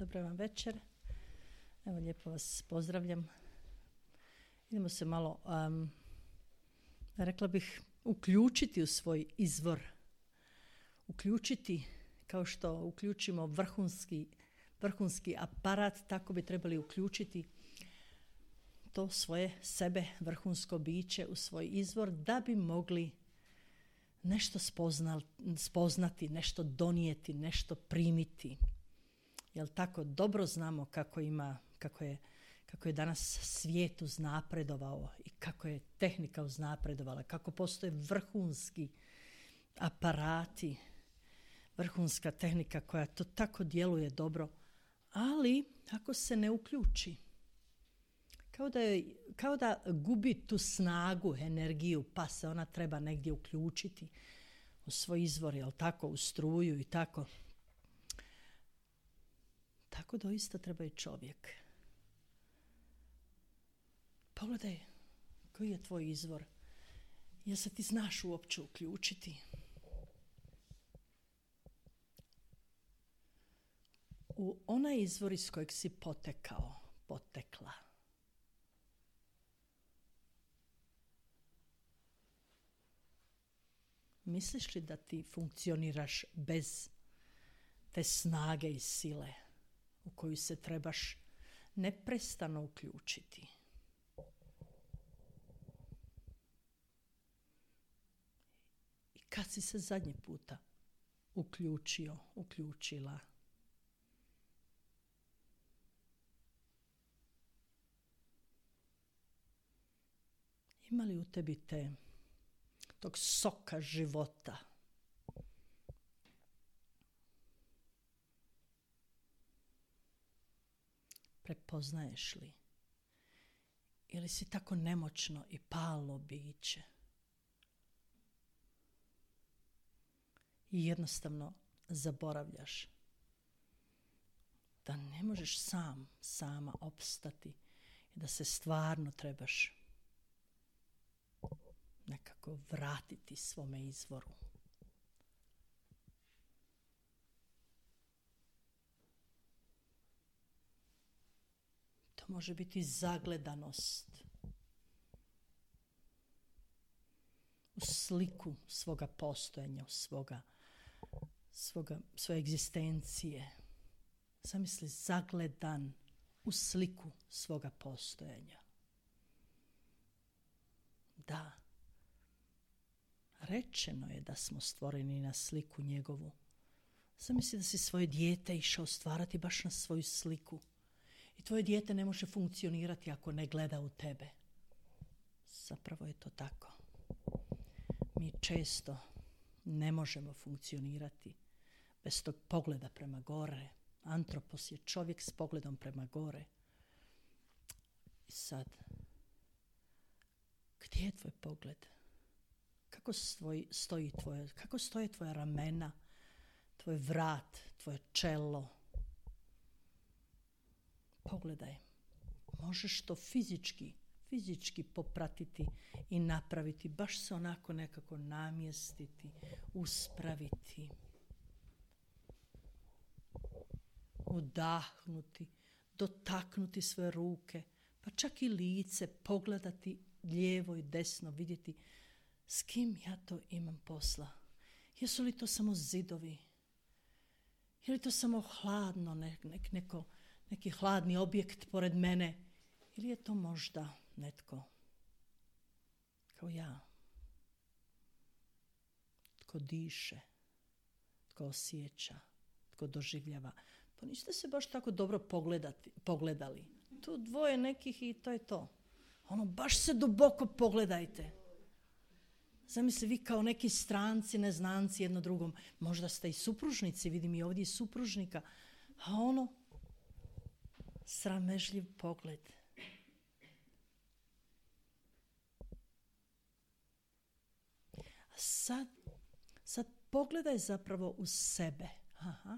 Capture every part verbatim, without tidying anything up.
Dobro vam večer. Evo, lijepo vas pozdravljam. Idemo se malo, um, rekla bih, uključiti u svoj izvor. Uključiti, kao što uključimo vrhunski, vrhunski aparat, tako bi trebali uključiti to svoje sebe, vrhunsko biće u svoj izvor, da bi mogli nešto spoznal, spoznati, nešto donijeti, nešto primiti. Jel tako? Dobro znamo kako ima, kako je, kako je danas svijet uznapredovao i kako je tehnika uznapredovala, kako postoje vrhunski aparati, vrhunska tehnika koja to tako djeluje dobro, ali ako se ne uključi, kao da, je, kao da gubi tu snagu, energiju, pa se ona treba negdje uključiti u svoj izvor, jel tako, u struju i tako. Tako doista treba i čovjek. Pogledaj koji je tvoj izvor. Jel se ti znaš uopće uključiti? U onaj izvor iz kojeg si potekao, potekla. Misliš li da ti funkcioniraš bez te snage i sile u koju se trebaš neprestano uključiti? I kad si se zadnji puta uključio, uključila? Ima li u tebi te, tog soka života? Prepoznaješ li? Ili si tako nemoćno i palo biće? I jednostavno zaboravljaš da ne možeš sam, sama opstati i da se stvarno trebaš nekako vratiti svome izvoru. To može biti zagledanost u sliku svoga postojanja, u svoga, svoga, svoje egzistencije. Zamisli, zagledan u sliku svoga postojanja. Da, rečeno je da smo stvoreni na sliku njegovu. Zamisli da si svoje dijete išao stvarati baš na svoju sliku. I tvoje dijete ne može funkcionirati ako ne gleda u tebe. Zapravo je to tako. Mi često ne možemo funkcionirati bez tog pogleda prema gore. Antropos je čovjek s pogledom prema gore. I sad, gdje je tvoj pogled? Kako stoji, stoji tvoje, kako stoje tvoja ramena, tvoj vrat, tvoje čelo? Pogledaj, možeš to fizički, fizički popratiti i napraviti, baš se onako nekako namjestiti, uspraviti, udahnuti, dotaknuti svoje ruke, pa čak i lice, pogledati lijevo i desno, vidjeti s kim ja to imam posla. Jesu li to samo zidovi? Je li to samo hladno, nek, nek, neko, neki hladni objekt pored mene? Ili je to možda netko kao ja? Tko diše, tko osjeća, tko doživljava. Pa niste se baš tako dobro pogledati, pogledali. Tu dvoje nekih i to je to. Ono, baš se duboko pogledajte. Zamisli, vi kao neki stranci, neznanci jedno drugom. Možda ste i supružnici, vidim i ovdje i supružnika. A ono, sramežljiv pogled. A sad, sad pogledaj zapravo u sebe. Aha.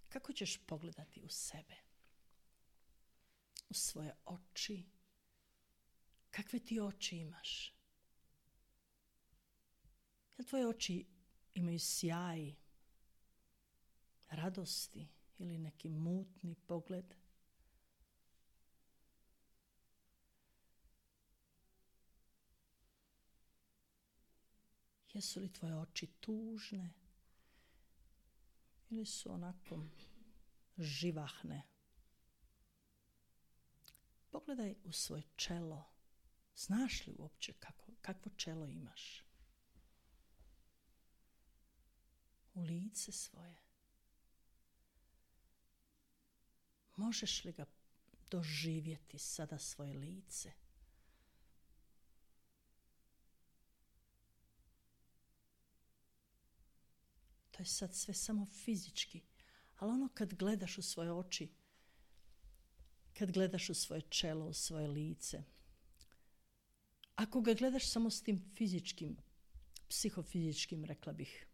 Kako ćeš pogledati u sebe? U svoje oči. Kakve ti oči imaš? Jel tvoje oči imaju sjaj, radosti ili neki mutni pogled. Jesu li tvoje oči tužne ili su onako živahne? Pogledaj u svoje čelo. Znaš li uopće kako, kakvo čelo imaš? U lice svoje. Možeš li ga doživjeti sada svoje lice? To je sad sve samo fizički. Ali ono kad gledaš u svoje oči, kad gledaš u svoje čelo, u svoje lice, ako ga gledaš samo s tim fizičkim, psihofizičkim, rekla bih,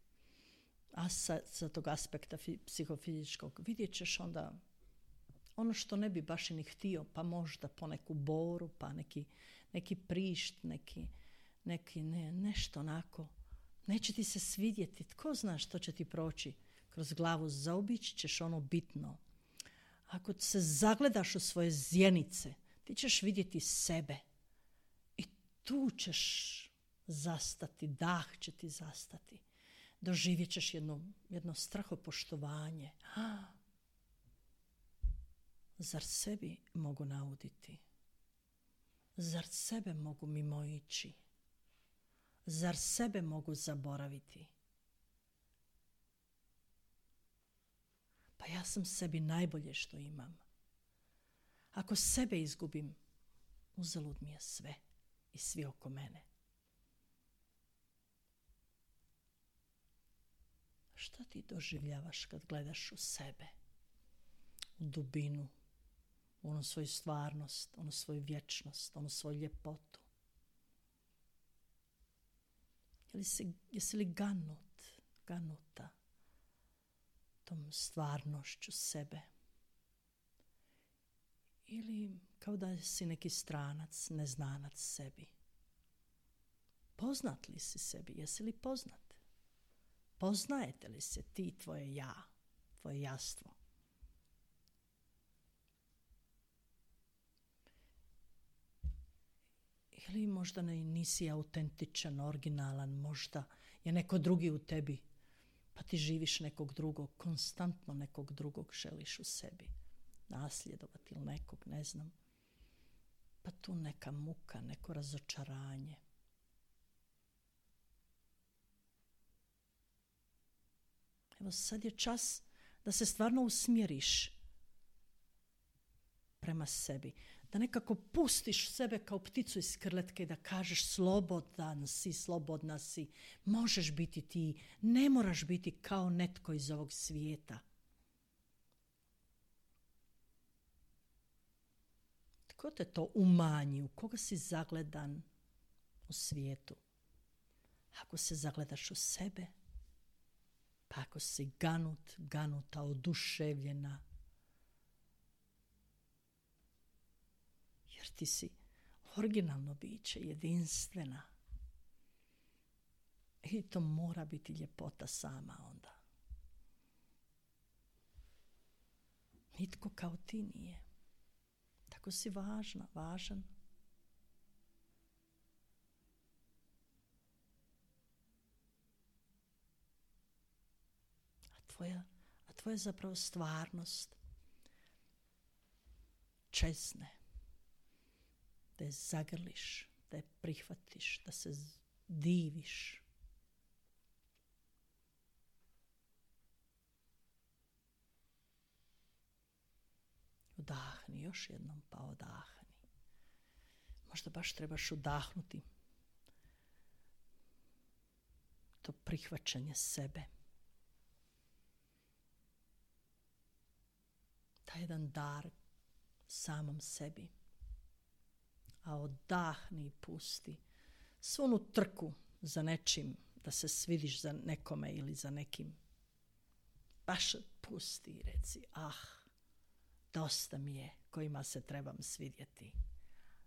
a sa, sa tog aspekta fi, psihofizičkog, vidjet ćeš onda ono što ne bi baš i ni htio, pa možda poneku boru, pa neki, neki prišt, neki, neki ne, nešto onako. Neće ti se svidjeti, tko zna što će ti proći kroz glavu, zaobići ćeš ono bitno. Ako se zagledaš u svoje zjenice, ti ćeš vidjeti sebe i tu ćeš zastati, dah će ti zastati. Doživjet ćeš jedno, jedno strahopoštovanje. Ah, zar sebi mogu nauditi? Zar sebe mogu mimoići? Zar sebe mogu zaboraviti? Pa ja sam sebi najbolje što imam. Ako sebe izgubim, uzalud mi je sve i svi oko mene. Šta ti doživljavaš kad gledaš u sebe? U dubinu, u onu svoju stvarnost, onu svoju vječnost, onu svoju ljepotu. Jesi, jesi li ganut, ganuta tom stvarnošću sebe? Ili kao da si neki stranac, neznanac sebi? Poznat li si sebi? Jesi li poznat? Poznajete li se ti, tvoje ja, tvoje jastvo? Ili možda ne, nisi autentičan, originalan, možda je neko drugi u tebi, pa ti živiš nekog drugog, konstantno nekog drugog želiš u sebi. Nasljedovati ili nekog, ne znam. Pa tu neka muka, neko razočaranje. Evo sad je čas da se stvarno usmjeriš prema sebi. Da nekako pustiš sebe kao pticu iz krletke i da kažeš slobodan si, slobodna si. Možeš biti ti, ne moraš biti kao netko iz ovog svijeta. Tko te to umanji? U koga si zagledan u svijetu? Ako se zagledaš u sebe, pa ako si ganut, ganuta, oduševljena, jer ti si originalno biće, jedinstvena. I to mora biti ljepota sama onda. Nitko kao ti nije. Tako si važna, važan. A tvoja, a tvoja zapravo stvarnost čezne. Da je zagrliš, da je prihvatiš, da se diviš. Udahni, još jednom pa odahni. Možda baš trebaš udahnuti to prihvaćanje sebe. Taj jedan dar samom sebi. A odahni i pusti svu onu trku za nečim, da se svidiš za nekome ili za nekim. Baš pusti i reci, ah, dosta mi je kojima se trebam svidjeti.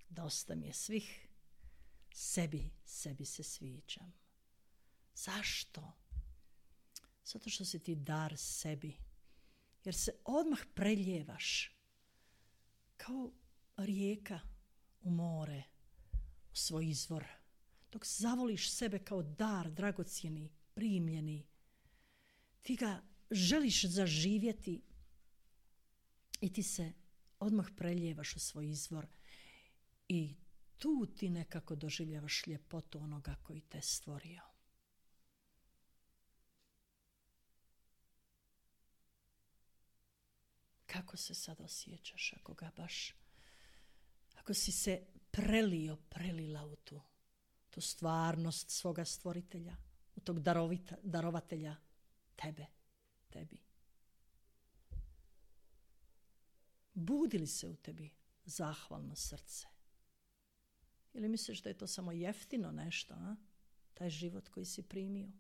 Dosta mi je svih. Sebi, sebi se sviđam. Zašto? Zato što si ti dar sebi. Jer se odmah preljevaš kao rijeka u more, u svoj izvor. Dok zavoliš sebe kao dar, dragocjeni, primljeni, ti ga želiš zaživjeti i ti se odmah preljevaš u svoj izvor i tu ti nekako doživljavaš ljepotu onoga koji te stvorio. Kako se sad osjećaš ako ga baš, ako si se prelio, prelila u tu, tu stvarnost svoga stvoritelja, u tog darovita, darovatelja tebe, tebi. Budi li se u tebi zahvalno srce? Ili misliš da je to samo jeftino nešto, a? Taj život koji si primio?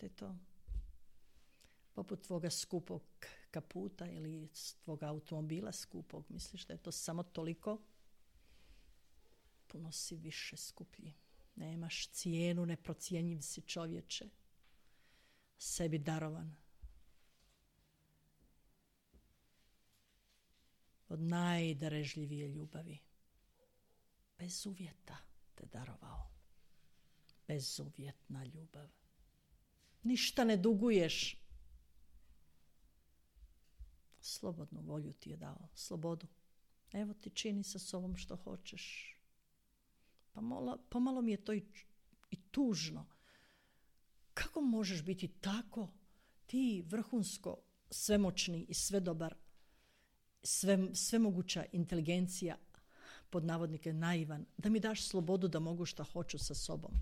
Da je to poput tvoga skupog kaputa ili tvoga automobila skupog. Misliš da je to samo toliko? Puno si više skuplji. Nemaš cijenu, neprocjenjiv si čovječe. Sebi darovan. Od najdarežljivije ljubavi. Bez uvjeta te darovao. Bezuvjetna ljubav. Ništa ne duguješ. Slobodnu volju ti je dao. Slobodu. Evo ti čini sa sobom što hoćeš. Pa malo, pomalo mi je to i, i tužno. Kako možeš biti tako, ti vrhunsko svemoćni i svedobar, sve, svemoguća inteligencija, pod navodnike naivan, da mi daš slobodu da mogu šta hoću sa sobom?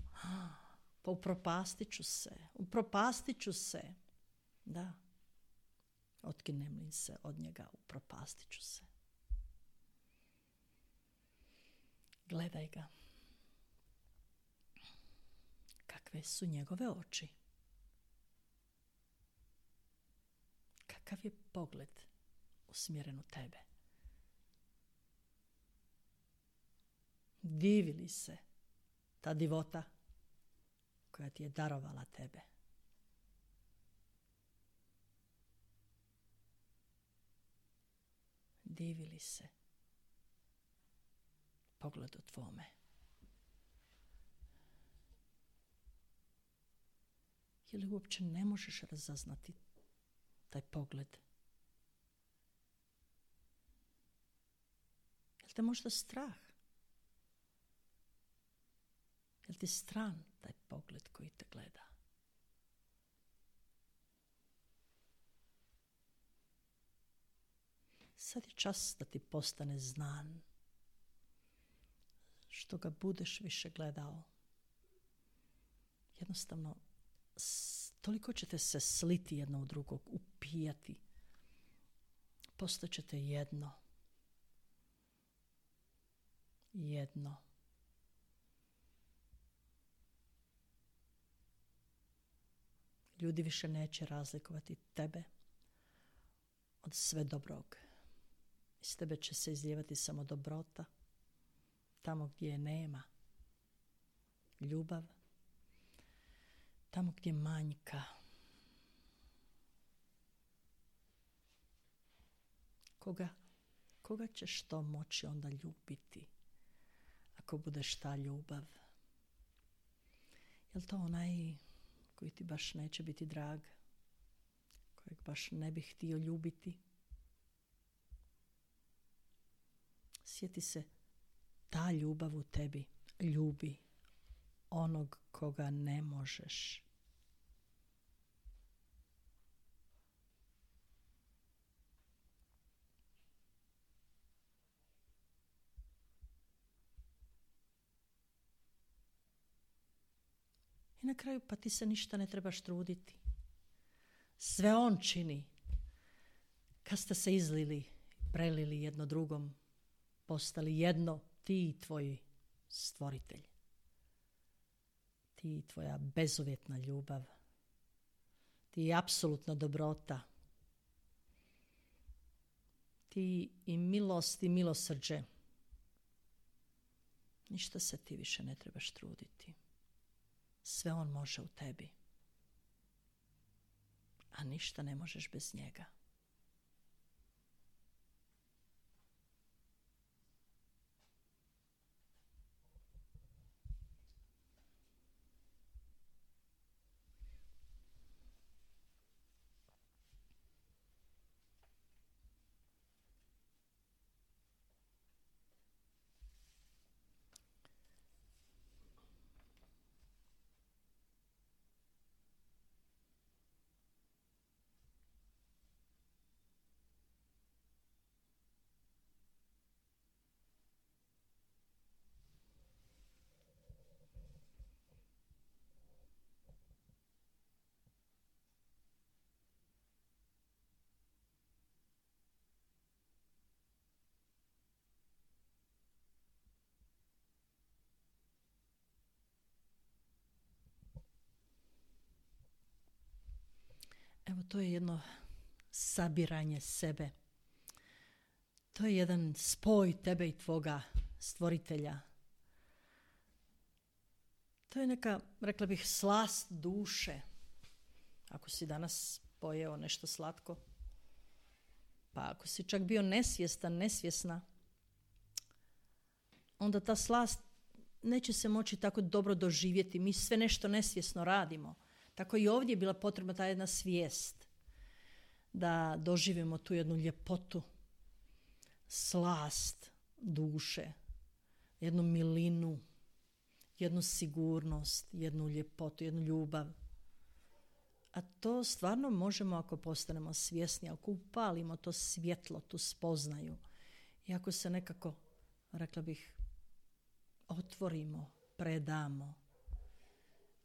Pa upropastit ću se, upropastit ću se. Da, otkinem li se od njega, upropastit ću se. Gledaj ga. Kakve su njegove oči? Kakav je pogled usmjeren u tebe? Divi li se ta divota koja ti je darovala tebe? Divi li se pogledu tvome? Ili uopće ne možeš razaznati taj pogled? Je li te možda strah? Je li ti stran taj pogled koji te gleda? Sad je čas da ti postane znan. Što ga budeš više gledao, jednostavno toliko ćete se sliti jedno u drugog, upijati. Postaćete jedno. Jedno. Ljudi više neće razlikovati tebe od sve dobrog. Iz tebe će se izlijevati samo dobrota. Tamo gdje je nema. Ljubav. Tamo gdje manjka. Koga, koga ćeš to moći onda ljubiti? Ako budeš ta ljubav. Je li to onaj koji ti baš neće biti drag? Kojeg baš ne bih htio ljubiti? Sjeti se, ta ljubav u tebi ljubi onog koga ne možeš. I na kraju pa ti se ništa ne trebaš truditi. Sve on čini. Kad ste se izlili, prelili jedno drugom, postali jedno, ti i tvoj stvoritelj. Ti i tvoja bezuvjetna ljubav. Ti i apsolutna dobrota. Ti i milost i milosrđe. Ništa se ti više ne trebaš truditi. Sve on može u tebi. A ništa ne možeš bez njega. Evo, to je jedno sabiranje sebe. To je jedan spoj tebe i tvoga stvoritelja. To je neka, rekla bih, slast duše. Ako si danas pojeo nešto slatko, pa ako si čak bio nesvjestan, nesvjesna, onda ta slast neće se moći tako dobro doživjeti. Mi sve nešto nesvjesno radimo. Tako i ovdje je bila potrebna ta jedna svijest da doživimo tu jednu ljepotu, slast duše, jednu milinu, jednu sigurnost, jednu ljepotu, jednu ljubav. A to stvarno možemo ako postanemo svjesni, ako upalimo to svjetlo, tu spoznaju i ako se nekako, rekla bih, otvorimo, predamo.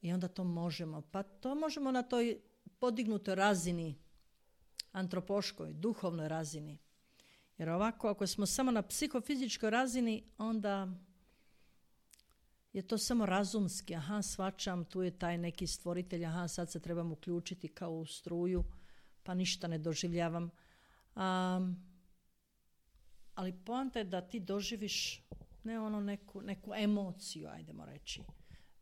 I onda to možemo. Pa to možemo na toj podignutoj razini, antropoškoj, duhovnoj razini. Jer ovako, ako smo samo na psihofizičkoj razini, onda je to samo razumski. Aha, shvaćam, tu je taj neki stvoritelj, aha, sad se trebam uključiti kao u struju, pa ništa ne doživljavam. Um, ali poanta je da ti doživiš ne ono neku, neku emociju, ajdemo reći,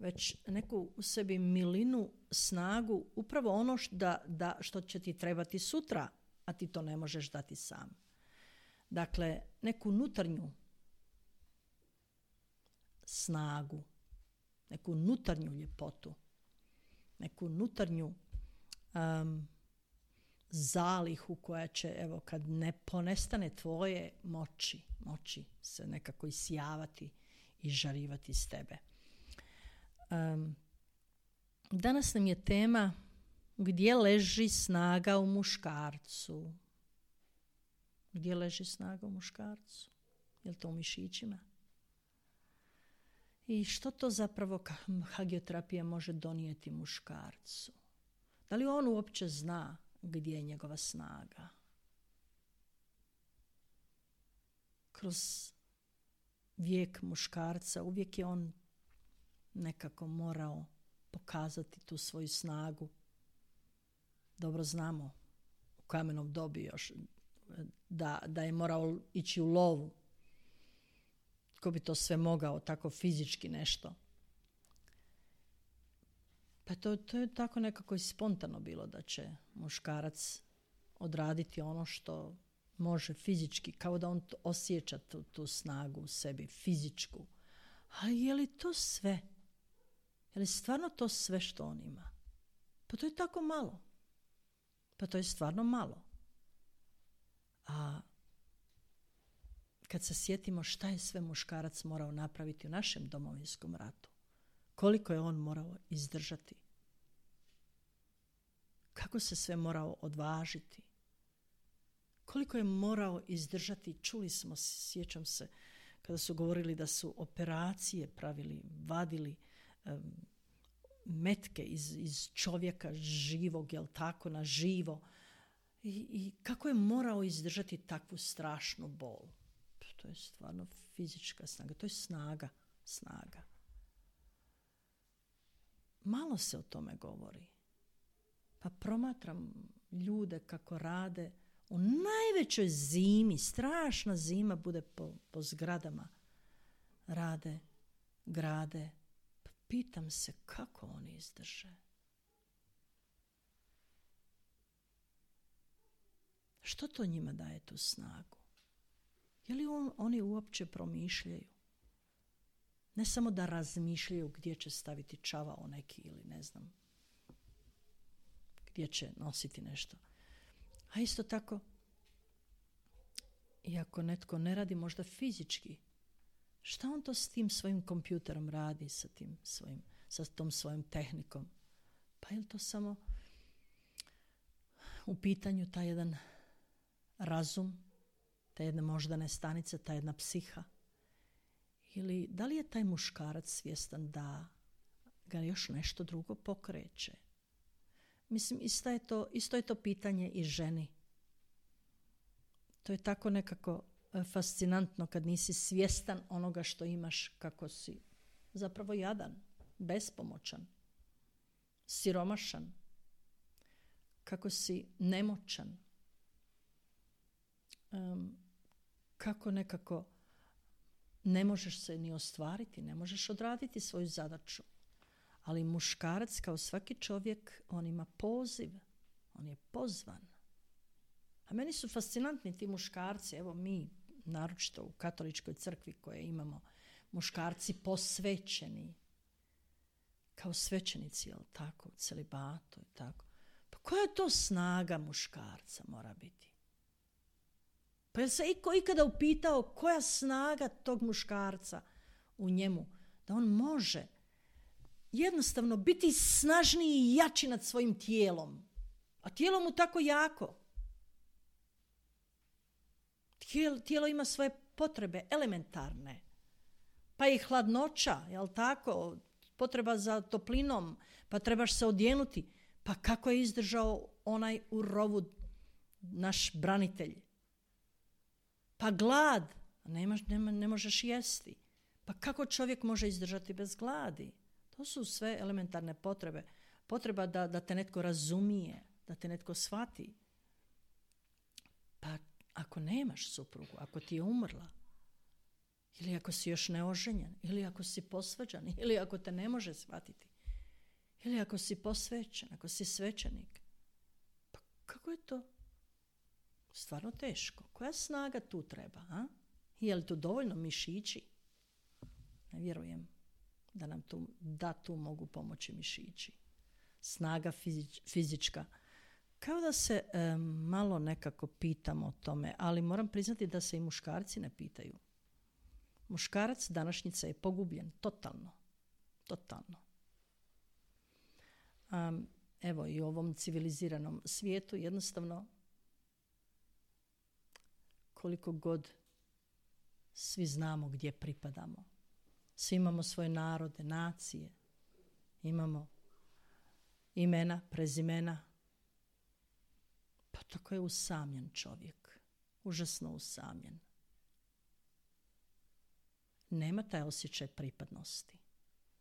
već neku u sebi milinu, snagu, upravo ono što, da, da, što će ti trebati sutra, a ti to ne možeš dati sam. Dakle, neku unutarnju snagu, neku unutarnju ljepotu, neku unutarnju um, zalihu koja će, evo, kad ne ponestane tvoje moći, moći se nekako isjavati i žarivati iz tebe. Um, danas nam je tema gdje leži snaga u muškarcu. Gdje leži snaga u muškarcu? Je li to u mišićima? I što to zapravo hagioterapija može donijeti muškarcu? Da li on uopće zna gdje je njegova snaga? Kroz vijek muškarca uvijek je on nekako morao pokazati tu svoju snagu. Dobro znamo u kamenom dobi još da, da je morao ići u lovu. Ko bi to sve mogao, tako fizički nešto? Pa to, to je tako nekako i spontano bilo da će muškarac odraditi ono što može fizički, kao da on osjeća tu, tu snagu u sebi, fizičku. Ali je li to sve? Je li stvarno to sve što on ima? Pa to je tako malo. Pa to je stvarno malo. A kad se sjetimo šta je sve muškarac morao napraviti u našem domovinskom ratu, koliko je on morao izdržati, kako se sve morao odvažiti, koliko je morao izdržati, čuli smo, sjećam se, kada su govorili da su operacije pravili, vadili um, metke iz, iz čovjeka živog, jel tako, na živo. I, i kako je morao izdržati takvu strašnu bol. To je stvarno fizička snaga, to je snaga, snaga. Malo se o tome govori. Pa promatram ljude kako rade u najvećoj zimi, strašna zima bude po, po zgradama. Rade, grade, pitam se kako oni izdrže. Što to njima daje tu snagu? Je li on, oni uopće promišljaju? Ne samo da razmišljaju gdje će staviti čavao neki ili ne znam, gdje će nositi nešto. A isto tako, iako netko ne radi možda fizički, šta on to s tim svojim kompjuterom radi, sa, tim svojim, sa tom svojom tehnikom? Pa je li to samo u pitanju taj jedan razum, ta jedna moždane stanice, ta jedna psiha? Ili da li je taj muškarac svjestan da ga još nešto drugo pokreće? Mislim, isto je to, isto je to pitanje i ženi. To je tako nekako fascinantno kad nisi svjestan onoga što imaš, kako si zapravo jadan, bespomoćan, siromašan, kako si nemoćan, um, kako nekako ne možeš se ni ostvariti, ne možeš odraditi svoju zadaću. Ali muškarac, kao svaki čovjek, on ima poziv, on je pozvan. A meni su fascinantni ti muškarci, evo mi, naročito u katoličkoj crkvi koje imamo, muškarci posvećeni, kao svećenici, jel tako, u celibatu i tako. Pa koja to snaga muškarca mora biti? Pa je se iko ikada upitao koja snaga tog muškarca u njemu, da on može jednostavno biti snažniji i jači nad svojim tijelom, a tijelo mu tako jako. Tijelo ima svoje potrebe elementarne, pa i hladnoća, jel tako, potreba za toplinom, pa trebaš se odjenuti. Pa kako je izdržao onaj u rovu naš branitelj? Pa glad, nemaš, nema, ne možeš jesti. Pa kako čovjek može izdržati bez gladi? To su sve elementarne potrebe. Potreba da, da te netko razumije, da te netko shvati. Pa ako nemaš suprugu, ako ti je umrla, ili ako si još neoženjen, ili ako si posvađan, ili ako te ne može shvatiti, ili ako si posvećen, ako si svećenik, pa kako je to? Stvarno teško. Koja snaga tu treba? A? Je li tu dovoljno mišići? Ne vjerujem da nam tu, da tu mogu pomoći mišići. Snaga fizič, fizička. Kao da se e, malo nekako pitamo o tome, ali moram priznati da se i muškarci ne pitaju. Muškarac današnjice je pogubljen, totalno. Totalno. Um, evo i u ovom civiliziranom svijetu jednostavno koliko god svi znamo gdje pripadamo. Svi imamo svoje narode, nacije. Imamo imena, prezimena. Pa tako je usamljen čovjek. Užasno usamljen. Nema taj osjećaj pripadnosti.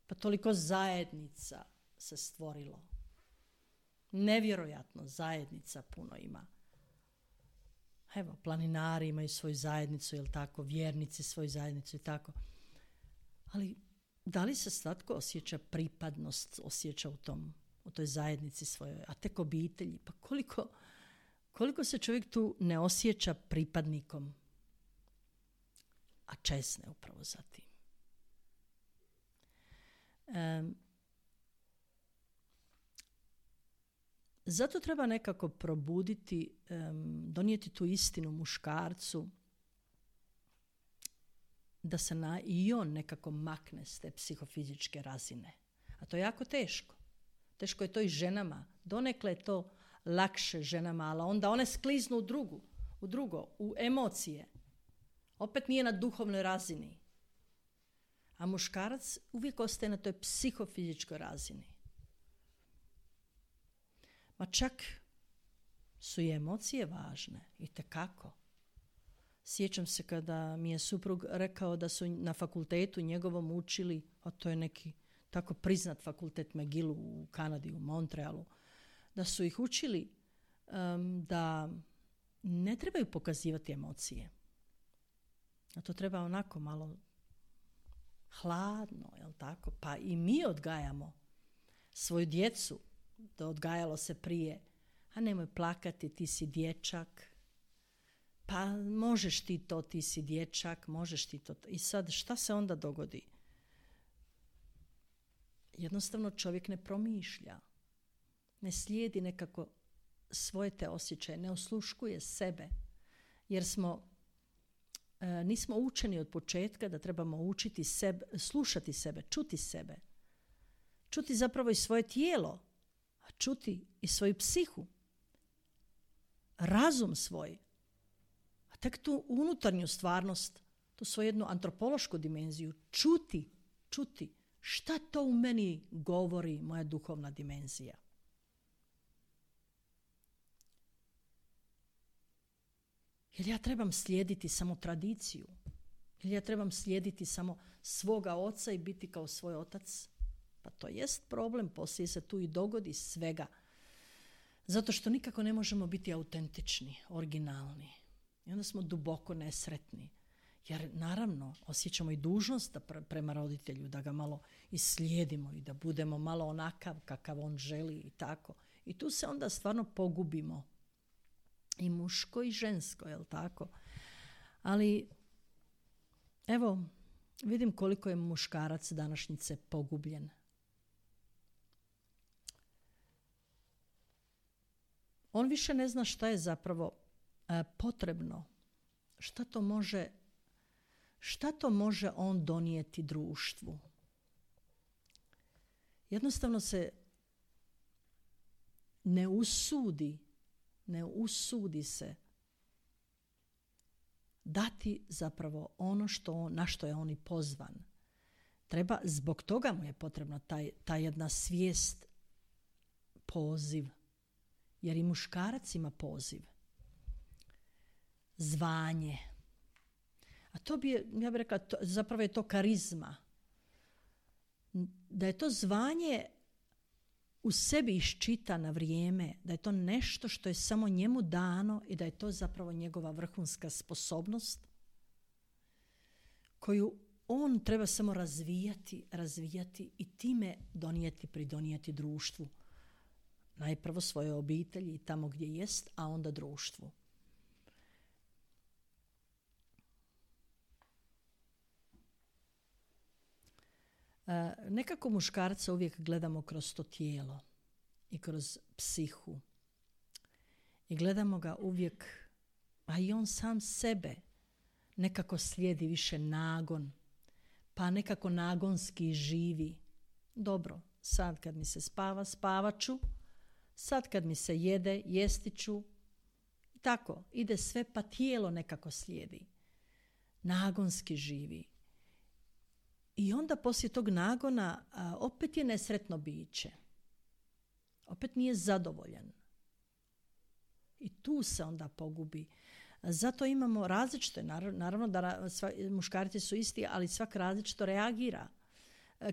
Pa toliko zajednica se stvorilo. Nevjerojatno zajednica puno ima. Evo, planinari imaju svoju zajednicu, jel tako, vjernici svoju zajednicu i tako. Ali da li se svatko osjeća pripadnost, osjeća u tom, u toj zajednici svojoj, a tek obitelji? Pa koliko, koliko se čovjek tu ne osjeća pripadnikom, a česne upravo za tim. Um, Zato treba nekako probuditi, um, donijeti tu istinu muškarcu da se na, i on nekako makne s te psihofizičke razine. A to je jako teško. Teško je to i ženama. Donekle je to lakše ženama, ali onda one skliznu u drugu, u drugo, u emocije. Opet nije na duhovnoj razini. A muškarac uvijek ostaje na toj psihofizičkoj razini. Ma čak su i emocije važne, itekako. Sjećam se kada mi je suprug rekao da su na fakultetu njegovom učili, a to je neki tako priznat fakultet McGillu u Kanadi, u Montrealu, da su ih učili um, da ne trebaju pokazivati emocije. A to treba onako malo hladno, jel tako? Pa i mi odgajamo svoju djecu, da odgajalo se prije, a nemoj plakati, ti si dječak, pa možeš ti to, ti si dječak, možeš ti to. I sad šta se onda dogodi? Jednostavno čovjek ne promišlja, ne slijedi nekako svoje te osjećaje, ne osluškuje sebe, jer smo, e, nismo učeni od početka da trebamo učiti sebe, slušati sebe, čuti sebe, čuti zapravo i svoje tijelo, a čuti i svoju psihu, razum svoj, a tek tu unutarnju stvarnost, tu svoju jednu antropološku dimenziju, čuti, čuti šta to u meni govori moja duhovna dimenzija. Jer ja trebam slijediti samo tradiciju, ili ja trebam slijediti samo svoga oca i biti kao svoj otac. Pa to jest problem, poslije se tu i dogodi svega. Zato što nikako ne možemo biti autentični, originalni. I onda smo duboko nesretni. Jer naravno osjećamo i dužnost da pre- prema roditelju, da ga malo islijedimo i da budemo malo onakav kakav on želi i tako. I tu se onda stvarno pogubimo. I muško i žensko, jel tako? Ali evo, vidim koliko je muškarac današnjice pogubljen. On više ne zna šta je zapravo e, potrebno. Šta to može, šta to može on donijeti društvu? Jednostavno se ne usudi, ne usudi se dati zapravo ono što on, na što je on i pozvan. Treba, zbog toga mu je potrebna taj, ta jedna svijest, poziv. Jer i muškarac ima poziv. Zvanje. A to bi, ja bih rekla, to, zapravo je to karizma. Da je to zvanje u sebi iščita na vrijeme, da je to nešto što je samo njemu dano i da je to zapravo njegova vrhunska sposobnost koju on treba samo razvijati, razvijati i time donijeti, pridonijeti društvu. Najprvo svoje obitelji tamo gdje jest, a onda društvu. E, nekako muškarca uvijek gledamo kroz to tijelo i kroz psihu. I gledamo ga uvijek, a i on sam sebe nekako slijedi više nagon, pa nekako nagonski živi. Dobro, sad kad mi se spava, spavaću, sad kad mi se jede, jesti ću. Tako, ide sve pa tijelo nekako slijedi. Nagonski živi. I onda poslije tog nagona a, opet je nesretno biće. Opet nije zadovoljan. I tu se onda pogubi. Zato imamo različite, naravno da sva, muškarci su isti, ali svak različito reagira.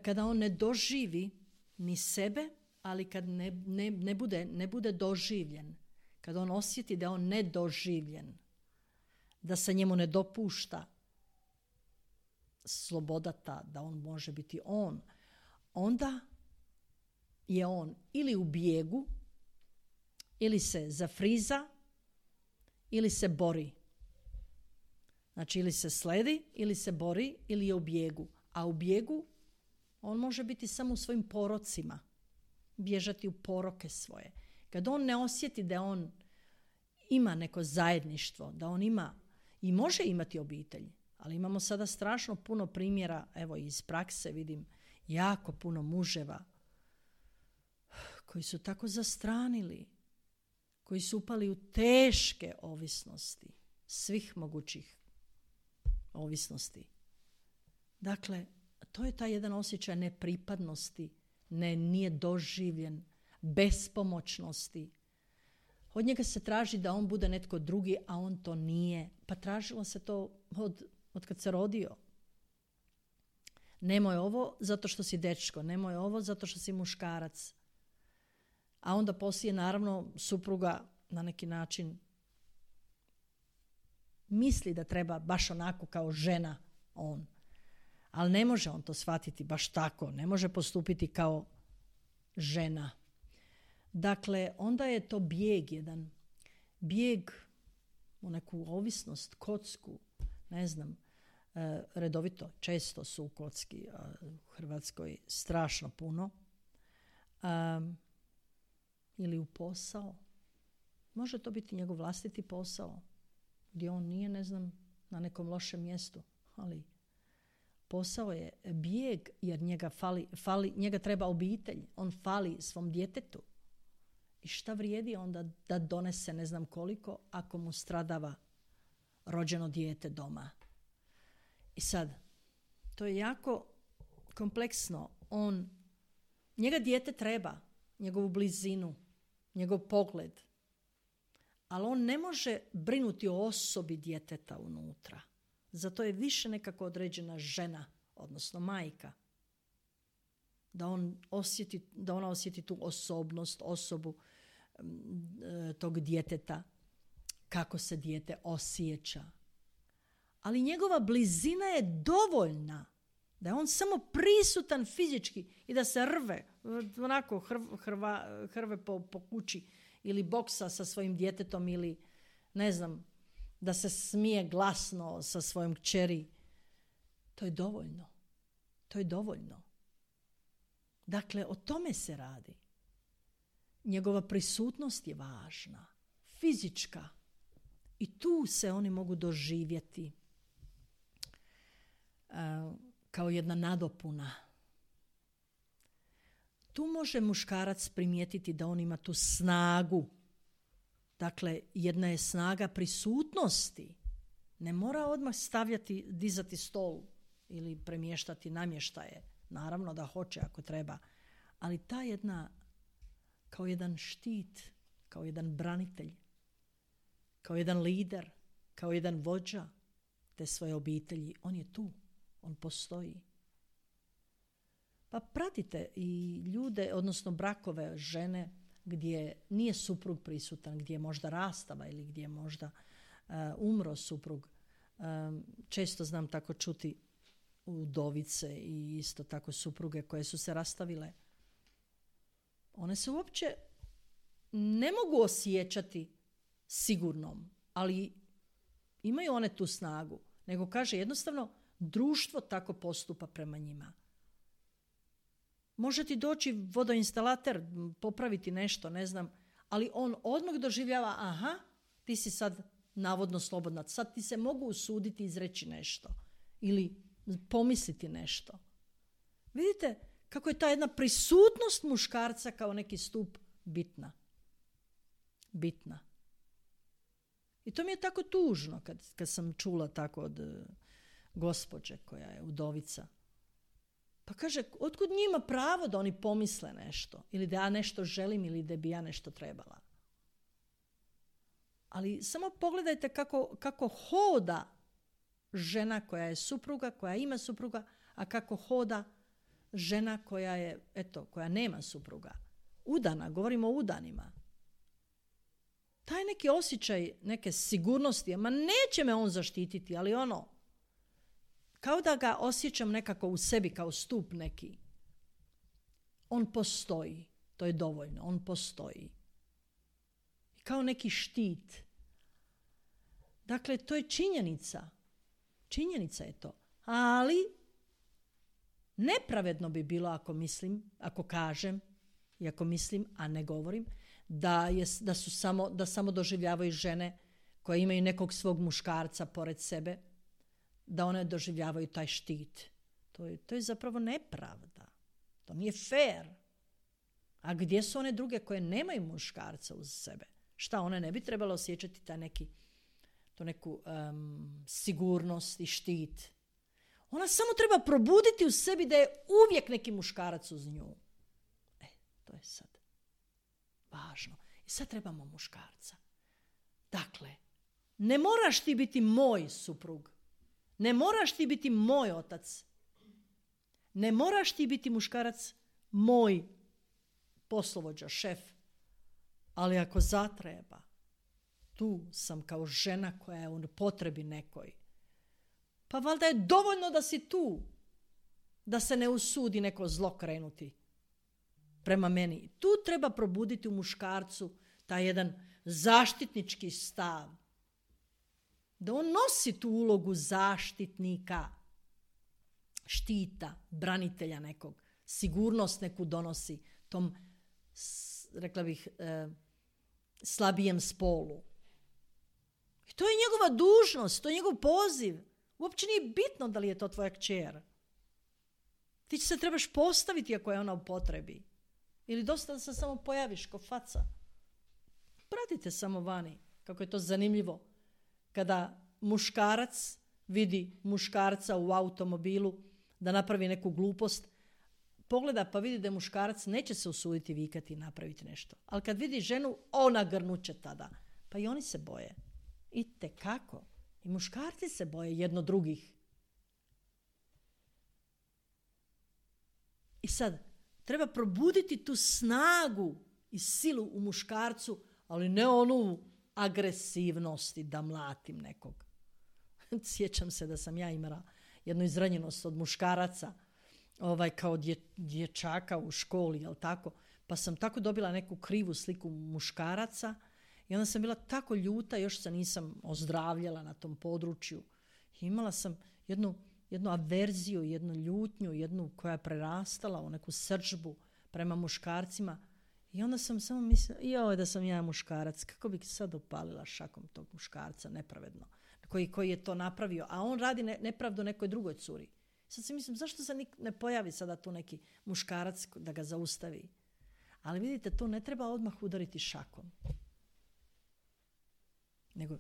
Kada on ne doživi ni sebe, ali kad ne, ne, ne, bude, ne bude doživljen, kad on osjeti da je on nedoživljen, da se njemu ne dopušta sloboda ta, da on može biti on, onda je on ili u bijegu, ili se zafriza, ili se bori. Znači ili se sledi, ili se bori, ili je u bijegu. A u bijegu on može biti samo u svojim porocima, bježati u poroke svoje. Kad on ne osjeti da on ima neko zajedništvo, da on ima i može imati obitelj, ali imamo sada strašno puno primjera, evo iz prakse vidim, jako puno muževa koji su tako zastranili, koji su upali u teške ovisnosti, svih mogućih ovisnosti. Dakle, to je taj jedan osjećaj nepripadnosti, ne, nije doživljen, bespomoćnosti. Od njega se traži da on bude netko drugi, a on to nije. Pa tražilo se to od, od kad se rodio. Nemoj ovo zato što si dečko, nemoj ovo zato što si muškarac. A onda poslije naravno supruga na neki način misli da treba baš onako kao žena on. Ali ne može on to shvatiti baš tako. Ne može postupiti kao žena. Dakle, onda je to bijeg jedan. Bijeg u neku ovisnost, kocku, ne znam, e, redovito, često su u kocki a, u Hrvatskoj strašno puno. A, ili u posao. Može to biti njegov vlastiti posao, gdje on nije, ne znam, na nekom lošem mjestu, ali posao je bijeg jer njega, fali, fali, njega treba obitelj, on fali svom djetetu. I šta vrijedi onda da donese ne znam koliko ako mu stradava rođeno dijete doma. I sad, to je jako kompleksno. On, njega dijete treba, njegovu blizinu, njegov pogled, ali on ne može brinuti o osobi djeteta unutra. Zato je više nekako određena žena, odnosno majka. Da, on osjeti, da ona osjeti tu osobnost, osobu e, tog djeteta, kako se dijete osjeća. Ali njegova blizina je dovoljna da je on samo prisutan fizički i da se rve, onako hrv, hrva, hrve po, po kući ili boksa sa svojim djetetom ili ne znam, da se smije glasno sa svojom kćeri. To je dovoljno. To je dovoljno. Dakle, o tome se radi. Njegova prisutnost je važna, fizička. I tu se oni mogu doživjeti uh, kao jedna nadopuna. Tu može muškarac primijetiti da on ima tu snagu. Dakle, jedna je snaga prisutnosti. Ne mora odmah stavljati, dizati stol ili premještati namještaje. Naravno da hoće ako treba. Ali ta jedna, kao jedan štit, kao jedan branitelj, kao jedan lider, kao jedan vođa te svoje obitelji, on je tu, on postoji. Pa pratite i ljude, odnosno brakove žene gdje nije suprug prisutan, gdje je možda rastava ili gdje je možda uh, umro suprug. Um, često znam tako čuti udovice i isto tako supruge koje su se rastavile. One se uopće ne mogu osjećati sigurnom, ali imaju one tu snagu. Nego kaže jednostavno društvo tako postupa prema njima. Može ti doći vodoinstalater, popraviti nešto, ne znam, ali on odmah doživljava, aha, ti si sad navodno slobodna, sad ti se mogu usuditi izreći nešto ili pomisliti nešto. Vidite kako je ta jedna prisutnost muškarca kao neki stup bitna. Bitna. I to mi je tako tužno kad, kad sam čula tako od uh, gospođe koja je udovica. Pa kaže, otkud njima pravo da oni pomisle nešto? Ili da ja nešto želim ili da bi ja nešto trebala? Ali samo pogledajte kako, kako hoda žena koja je supruga, koja ima supruga, a kako hoda žena koja je, eto, koja nema supruga. Udana, govorimo o udanima. Taj neki osjećaj neke sigurnosti, ma neće me on zaštititi, ali ono, kao da ga osjećam nekako u sebi kao stup neki. On postoji, to je dovoljno, on postoji. Kao neki štit. Dakle, to je činjenica. Činjenica je to. Ali nepravedno bi bilo ako mislim, ako kažem, i ako mislim, a ne govorim, da, je, da, su samo, da samo doživljavaju žene koje imaju nekog svog muškarca pored sebe, da one doživljavaju taj štit. To je, to je zapravo nepravda. To nije fair. A gdje su one druge koje nemaju muškarca uz sebe? Šta, one ne bi trebalo osjećati taj neki, tu neku um, sigurnost i štit? Ona samo treba probuditi u sebi da je uvijek neki muškarac uz nju. E, to je sad važno. I sad trebamo muškarca. Dakle, ne moraš ti biti moj suprug. Ne moraš ti biti moj otac. Ne moraš ti biti muškarac moj poslovođa, šef. Ali ako zatreba, tu sam kao žena koja je u potrebi nekoj. Pa valjda je dovoljno da si tu. da se ne usudi neko zlo krenuti prema meni. Tu treba probuditi u muškarcu taj jedan zaštitnički stav. Da on nosi tu ulogu zaštitnika, štita, branitelja nekog, sigurnost neku donosi tom, rekla bih, eh, slabijem spolu. I to je njegova dužnost, to je njegov poziv. Uopće nije bitno da li je to tvoja kćer. Ti se trebaš postaviti ako je ona u potrebi. Ili dosta da se samo pojaviš ko faca. Pratite samo vani, kako je to zanimljivo. Kada muškarac vidi muškarca u automobilu da napravi neku glupost, pogleda pa vidi da je muškarac, neće se usuditi vikati i napraviti nešto. Ali kad vidi ženu, ona grnuće tada. Pa i oni se boje. I tekako. I muškarci se boje jedno drugih. I sad, treba probuditi tu snagu i silu u muškarcu, ali ne onu agresivnosti da mlatim nekog. Sjećam se da sam ja imala jednu izranjenost od muškaraca, ovaj, kao dje, dječaka u školi, jel tako? Pa sam tako dobila neku krivu sliku muškaraca i onda sam bila tako ljuta, još se nisam ozdravljala na tom području. I imala sam jednu, jednu averziju, jednu ljutnju, jednu koja je prerastala u neku srdžbu prema muškarcima. I onda sam samo mislila, joj da sam ja muškarac, kako bih sad opalila šakom tog muškarca, nepravedno, koji, koji je to napravio. A on radi ne, nepravdu nekoj drugoj curi. Sad si mislim, zašto se ne pojavi sada tu neki muškarac da ga zaustavi? Ali vidite, to ne treba odmah udariti šakom. Nego,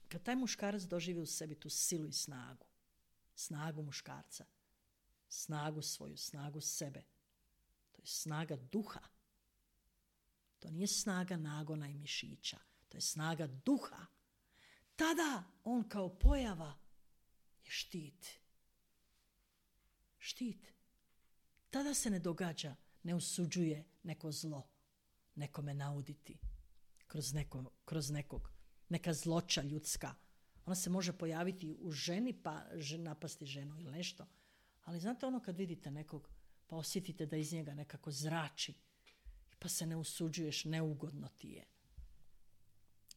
kad taj muškarac doživi u sebi tu silu i snagu, snagu muškarca, snagu svoju, snagu sebe, to je snaga duha. To nije snaga nagona i mišića, to je snaga duha. Tada on kao pojava je štit. Štit. Tada se ne događa, ne osuđuje neko zlo, nekome nauditi kroz, neko, kroz nekog, neka zloća ljudska. Ona se može pojaviti u ženi pa napasti ženu ili nešto. Ali znate ono kad vidite nekog pa osjetite da iz njega nekako zrači pa se ne usuđuješ, neugodno ti je.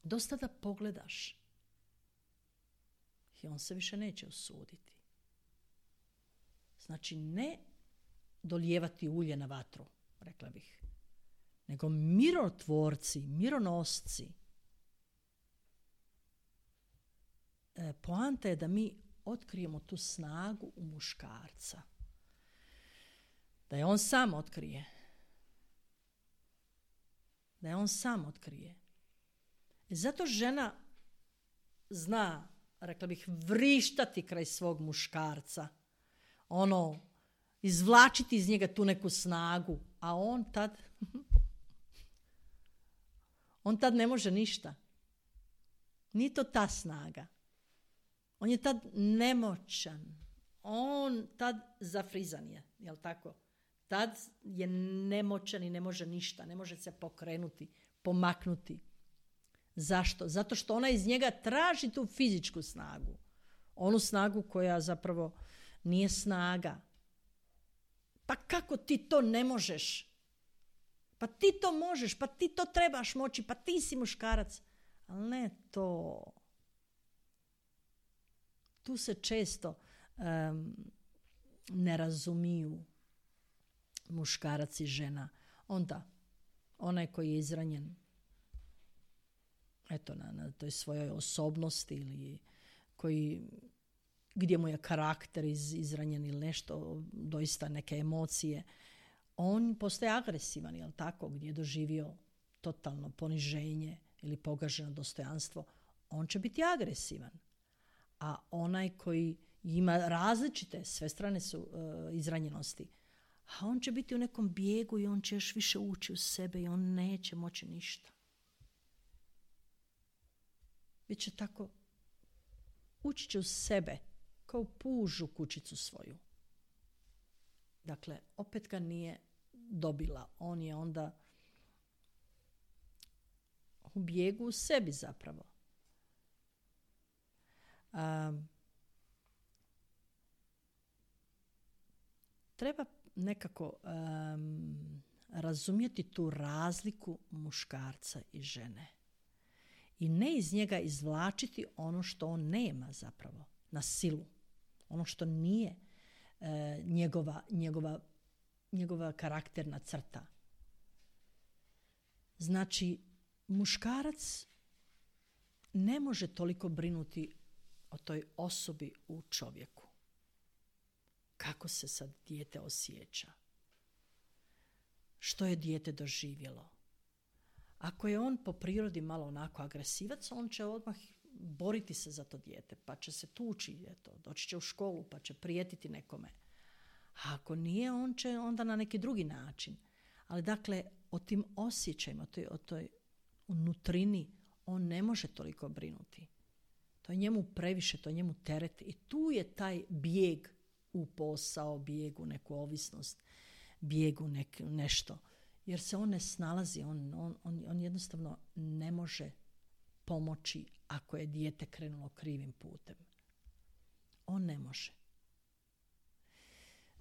Dosta da pogledaš i on se više neće usuditi. Znači ne dolijevati ulje na vatru, rekla bih, nego mirotvorci, mironosci. E, poanta je da mi otkrijemo tu snagu u muškarca. Da je on sam otkrije. Da je on sam otkrije. E zato žena zna, rekla bih, vrištati kraj svog muškarca. Ono, izvlačiti iz njega tu neku snagu. A on tad, on tad ne može ništa. Nije to ta snaga. On je tad nemoćan. On tad zafrizan je, jel tako? Tad je nemoćan i ne može ništa, ne može se pokrenuti, pomaknuti. Zašto? Zato što ona iz njega traži tu fizičku snagu. Onu snagu koja zapravo nije snaga. Pa kako ti to ne možeš? Pa ti to možeš, pa ti to trebaš moći, pa ti si muškarac. Ali ne to. Tu se često um, ne razumiju muškarac i žena. Onda, onaj koji je izranjen, eto, na, na toj svojoj osobnosti ili koji, gdje mu je karakter iz, izranjen ili nešto, doista neke emocije, on postaje agresivan, jel tako, gdje je doživio totalno poniženje ili pogaženo dostojanstvo, on će biti agresivan. A onaj koji ima različite, sve strane su uh, izranjenosti, a on će biti u nekom bijegu i on će još više ući u sebe i on neće moći ništa. Biće tako, ući će u sebe kao pužu kućicu svoju. Dakle, opet ga nije dobila. On je onda u bijegu u sebi zapravo. Um, treba nekako um, razumjeti tu razliku muškarca i žene. I ne iz njega izvlačiti ono što on nema zapravo, na silu. Ono što nije e, njegova, njegova, njegova karakterna crta. Znači, muškarac ne može toliko brinuti o toj osobi u čovjeku. Kako se sad dijete osjeća? Što je dijete doživjelo? Ako je on po prirodi malo onako agresivac, on će odmah boriti se za to dijete, pa će se tući, eto, doći će u školu, pa će prijetiti nekome. A ako nije, on će onda na neki drugi način. Ali dakle, o tim osjećajima, o toj, o toj unutrini, on ne može toliko brinuti. To je njemu previše, to je njemu teret. I tu je taj bijeg u posao, bijeg u neku ovisnost, bijeg u nek, nešto. Jer se on ne snalazi, on, on, on, on jednostavno ne može pomoći ako je dijete krenulo krivim putem. On ne može.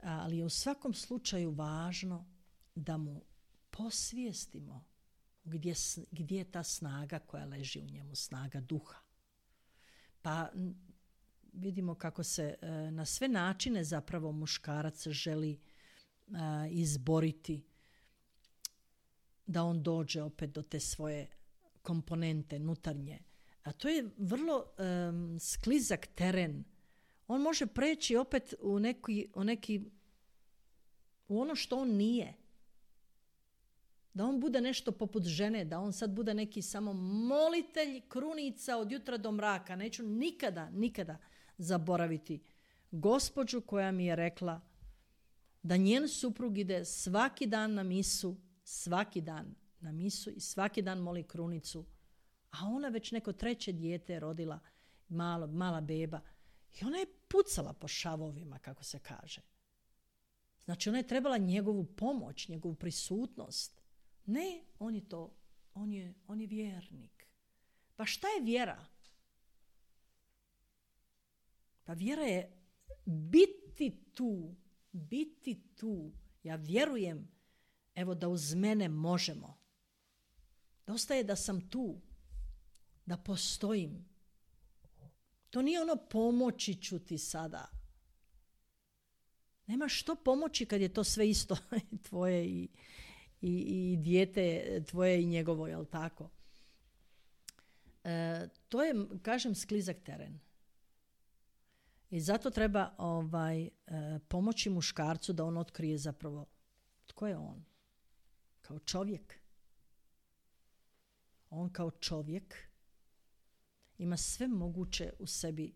Ali je u svakom slučaju važno da mu posvijestimo gdje, gdje je ta snaga koja leži u njemu, snaga duha. Pa vidimo kako se na sve načine zapravo muškarac želi izboriti da on dođe opet do te svoje komponente nutarnje. A to je vrlo um, sklizak teren. On može preći opet u neki, u neki u ono što on nije. Da on bude nešto poput žene, da on sad bude neki samo molitelj krunica od jutra do mraka. Neću nikada, nikada zaboraviti gospođu koja mi je rekla da njen suprug ide svaki dan na misu, svaki dan na misu i svaki dan moli krunicu, a ona već neko treće dijete rodila, malo, mala beba, i ona je pucala po šavovima, kako se kaže. Znači, ona je trebala njegovu pomoć, njegovu prisutnost. Ne, on je to, on je, on je vjernik. Pa šta je vjera? Pa vjera je biti tu, biti tu. Ja vjerujem, evo, da uz mene možemo. Dosta je da sam tu, da postojim. To nije ono pomoći ću ti sada. Nema što pomoći kad je to sve isto tvoje i, i, i dijete tvoje i njegovo, jel tako? E, to je, kažem, sklizak teren. I zato treba ovaj, e, pomoći muškarcu da on otkrije zapravo tko je on. Kao čovjek. On kao čovjek ima sve moguće u sebi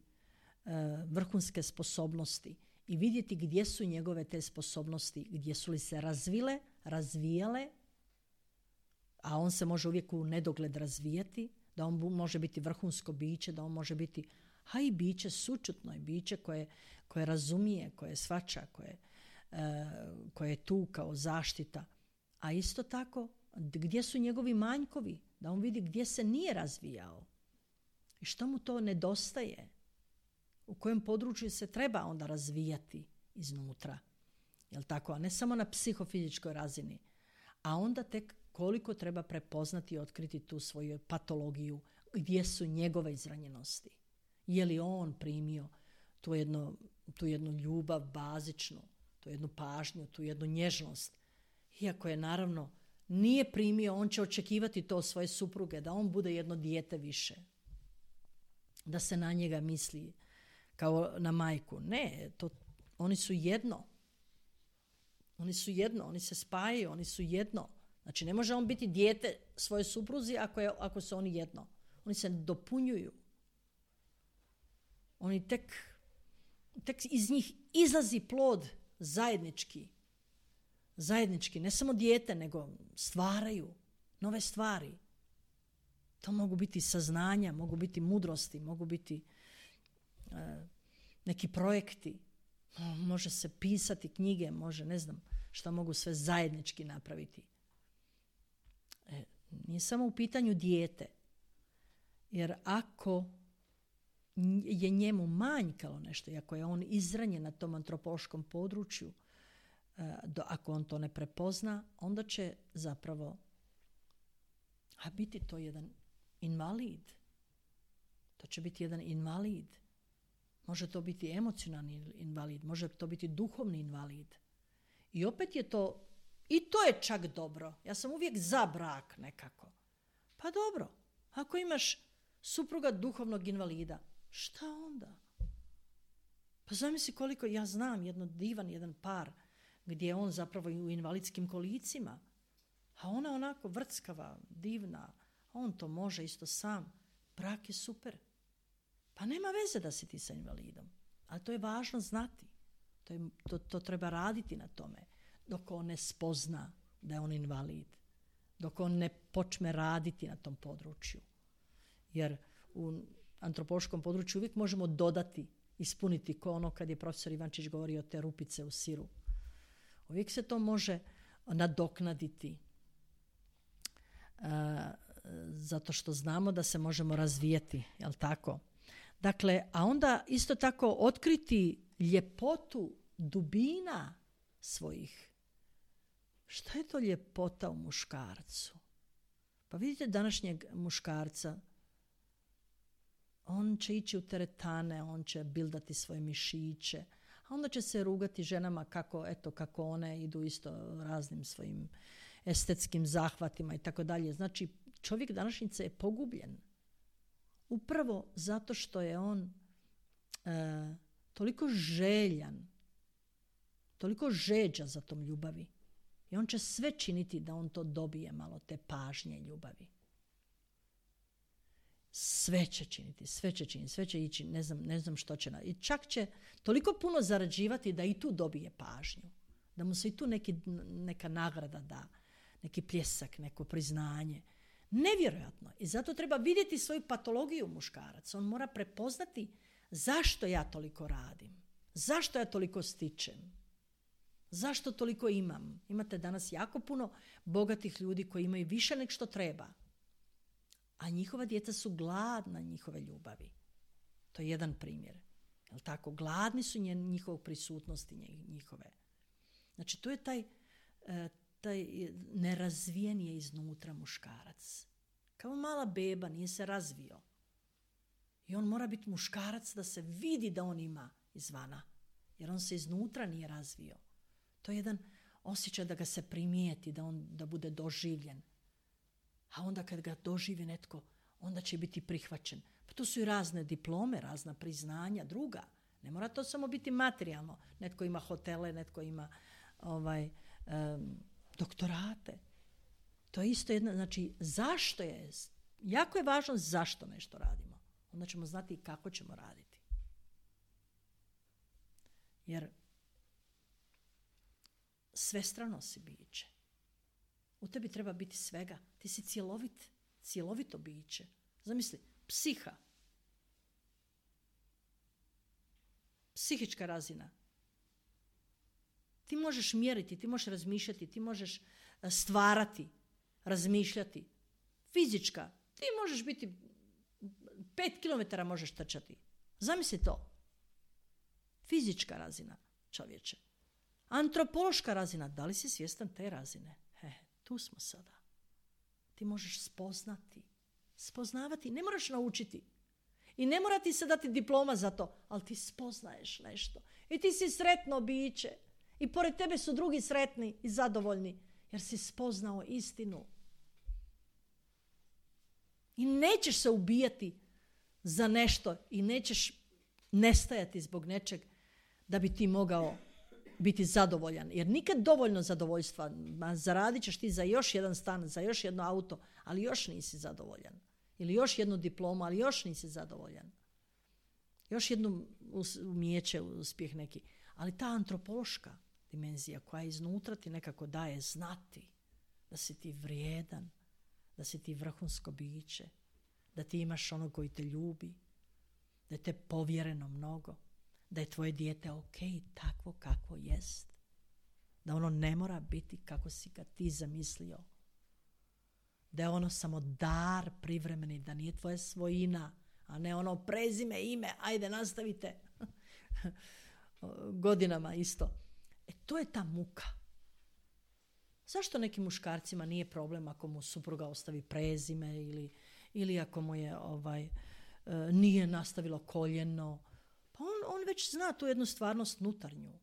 e, vrhunske sposobnosti i vidjeti gdje su njegove te sposobnosti, gdje su li se razvile, razvijale, a on se može uvijek u nedogled razvijati, da on može biti vrhunsko biće, da on može biti, a i biće sućutno, i biće koje, koje razumije, koje shvaća, koje, e, koje je tu kao zaštita. A isto tako, gdje su njegovi manjkovi, da on vidi gdje se nije razvijao i što mu to nedostaje, u kojem području se treba onda razvijati iznutra. Jel tako? A ne samo na psihofizičkoj razini. A onda tek koliko treba prepoznati i otkriti tu svoju patologiju, gdje su njegove izranjenosti. Je li on primio tu, jedno, tu jednu ljubav bazičnu, tu jednu pažnju, tu jednu nježnost. Iako je naravno nije primio, on će očekivati to svoje supruge, da on bude jedno dijete više. Da se na njega misli kao na majku. Ne, to, oni su jedno. Oni su jedno, oni se spajaju, oni su jedno. Znači, ne može on biti dijete svoje supruzi ako, je, ako su oni jedno. Oni se dopunjuju. Oni tek, tek iz njih izlazi plod zajednički. Zajednički, ne samo dijete, nego stvaraju nove stvari. To mogu biti saznanja, mogu biti mudrosti, mogu biti e, neki projekti. Može se pisati knjige, može, ne znam, šta mogu sve zajednički napraviti. E, nije samo u pitanju dijete. Jer ako je njemu manjkalo nešto, i ako je on izranjen na tom antropološkom području, do, ako on to ne prepozna, onda će zapravo a biti to jedan invalid. To će biti jedan invalid. Može to biti emocionalni invalid, može to biti duhovni invalid. I opet je to, i to je čak dobro. Ja sam uvijek za brak nekako. Pa dobro, ako imaš supruga duhovnog invalida, šta onda? Pa zamisli koliko, ja znam jedno divan jedan par gdje je on zapravo u invalidskim kolicima, a ona onako vrckava, divna, on to može isto sam. Brak je super. Pa nema veze da si ti sa invalidom, ali to je važno znati. To, je, to, to treba raditi na tome, dok on ne spozna da je on invalid, dok on ne počne raditi na tom području. Jer u antropološkom području uvijek možemo dodati, ispuniti, ko ono kad je profesor Ivančić govorio te rupice u siru. Uvijek se to može nadoknaditi. Uh, zato što znamo da se možemo razvijeti, jel tako? Dakle, a onda isto tako otkriti ljepotu dubina svojih. Šta je to ljepota u muškarcu? Pa vidite današnjeg muškarca, on će ići u teretane, on će bildati svoje mišiće, a onda će se rugati ženama kako, eto, kako one idu isto raznim svojim estetskim zahvatima i tako dalje. Znači, čovjek današnjice je pogubljen. Upravo zato što je on e, toliko željan, toliko žeđa za tom ljubavi. I on će sve činiti da on to dobije malo, te pažnje ljubavi. Sve će činiti, sve će činiti, sve će ići, ne znam, ne znam što će. I čak će toliko puno zarađivati da i tu dobije pažnju. Da mu se i tu neki, neka nagrada da, neki pljesak, neko priznanje. Nevjerojatno. I zato treba vidjeti svoju patologiju muškarac. On mora prepoznati zašto ja toliko radim. Zašto ja toliko stičem. Zašto toliko imam. Imate danas jako puno bogatih ljudi koji imaju više nego što treba. A njihova djeca su gladna njihove ljubavi. To je jedan primjer. Jel tako? Gladni su njihove prisutnosti njihove. Znači, to je taj... E, taj nerazvijen je iznutra muškarac. Kao mala beba, nije se razvio. I on mora biti muškarac da se vidi da on ima izvana. Jer on se iznutra nije razvio. To je jedan osjećaj da ga se primijeti, da on da bude doživljen. A onda kad ga doživi netko, onda će biti prihvaćen. Pa to su i razne diplome, razna priznanja, druga. Ne mora to samo biti materijalno. Netko ima hotele, netko ima ovaj... Um, doktorate. To je isto jedna, znači zašto je, jako je važno zašto nešto radimo. Onda ćemo znati i kako ćemo raditi. Jer svestrano si biće. U tebi treba biti svega. Ti si cjelovit, cjelovito biće. Zamisli, psiha. Psihička razina. Ti možeš mjeriti, ti možeš razmišljati, ti možeš stvarati, razmišljati. Fizička, ti možeš biti, pet kilometara možeš trčati. Zamisli to. Fizička razina, čovječe. Antropološka razina, da li si svjestan te razine? He, tu smo sada. Ti možeš spoznati, spoznavati, ne moraš naučiti. I ne mora ti se dati diploma za to, ali ti spoznaješ nešto. I ti si sretno biće. I pored tebe su drugi sretni i zadovoljni, jer si spoznao istinu. I nećeš se ubijati za nešto i nećeš nestajati zbog nečeg da bi ti mogao biti zadovoljan. Jer nikad dovoljno zadovoljstva. Zaradit ćeš ti za još jedan stan, za još jedno auto, ali još nisi zadovoljan. Ili još jednu diplomu, ali još nisi zadovoljan. Još jedno umijeće, uspjeh neki. Ali ta antropološka dimenzija koja iznutra ti nekako daje znati da si ti vrijedan, da si ti vrhunsko biće, da ti imaš onog koji te ljubi, da je te povjereno mnogo, da je tvoje dijete ok, takvo kakvo jest, da ono ne mora biti kako si ga ti zamislio, da je ono samo dar privremeni, da nije tvoja svojina, a ne ono prezime, ime, ajde nastavite godinama isto. E to je ta muka. Zašto nekim muškarcima nije problem ako mu supruga ostavi prezime ili, ili ako mu je ovaj, e, nije nastavilo koljeno? Pa on, on već zna tu jednu stvarnost nutarnju.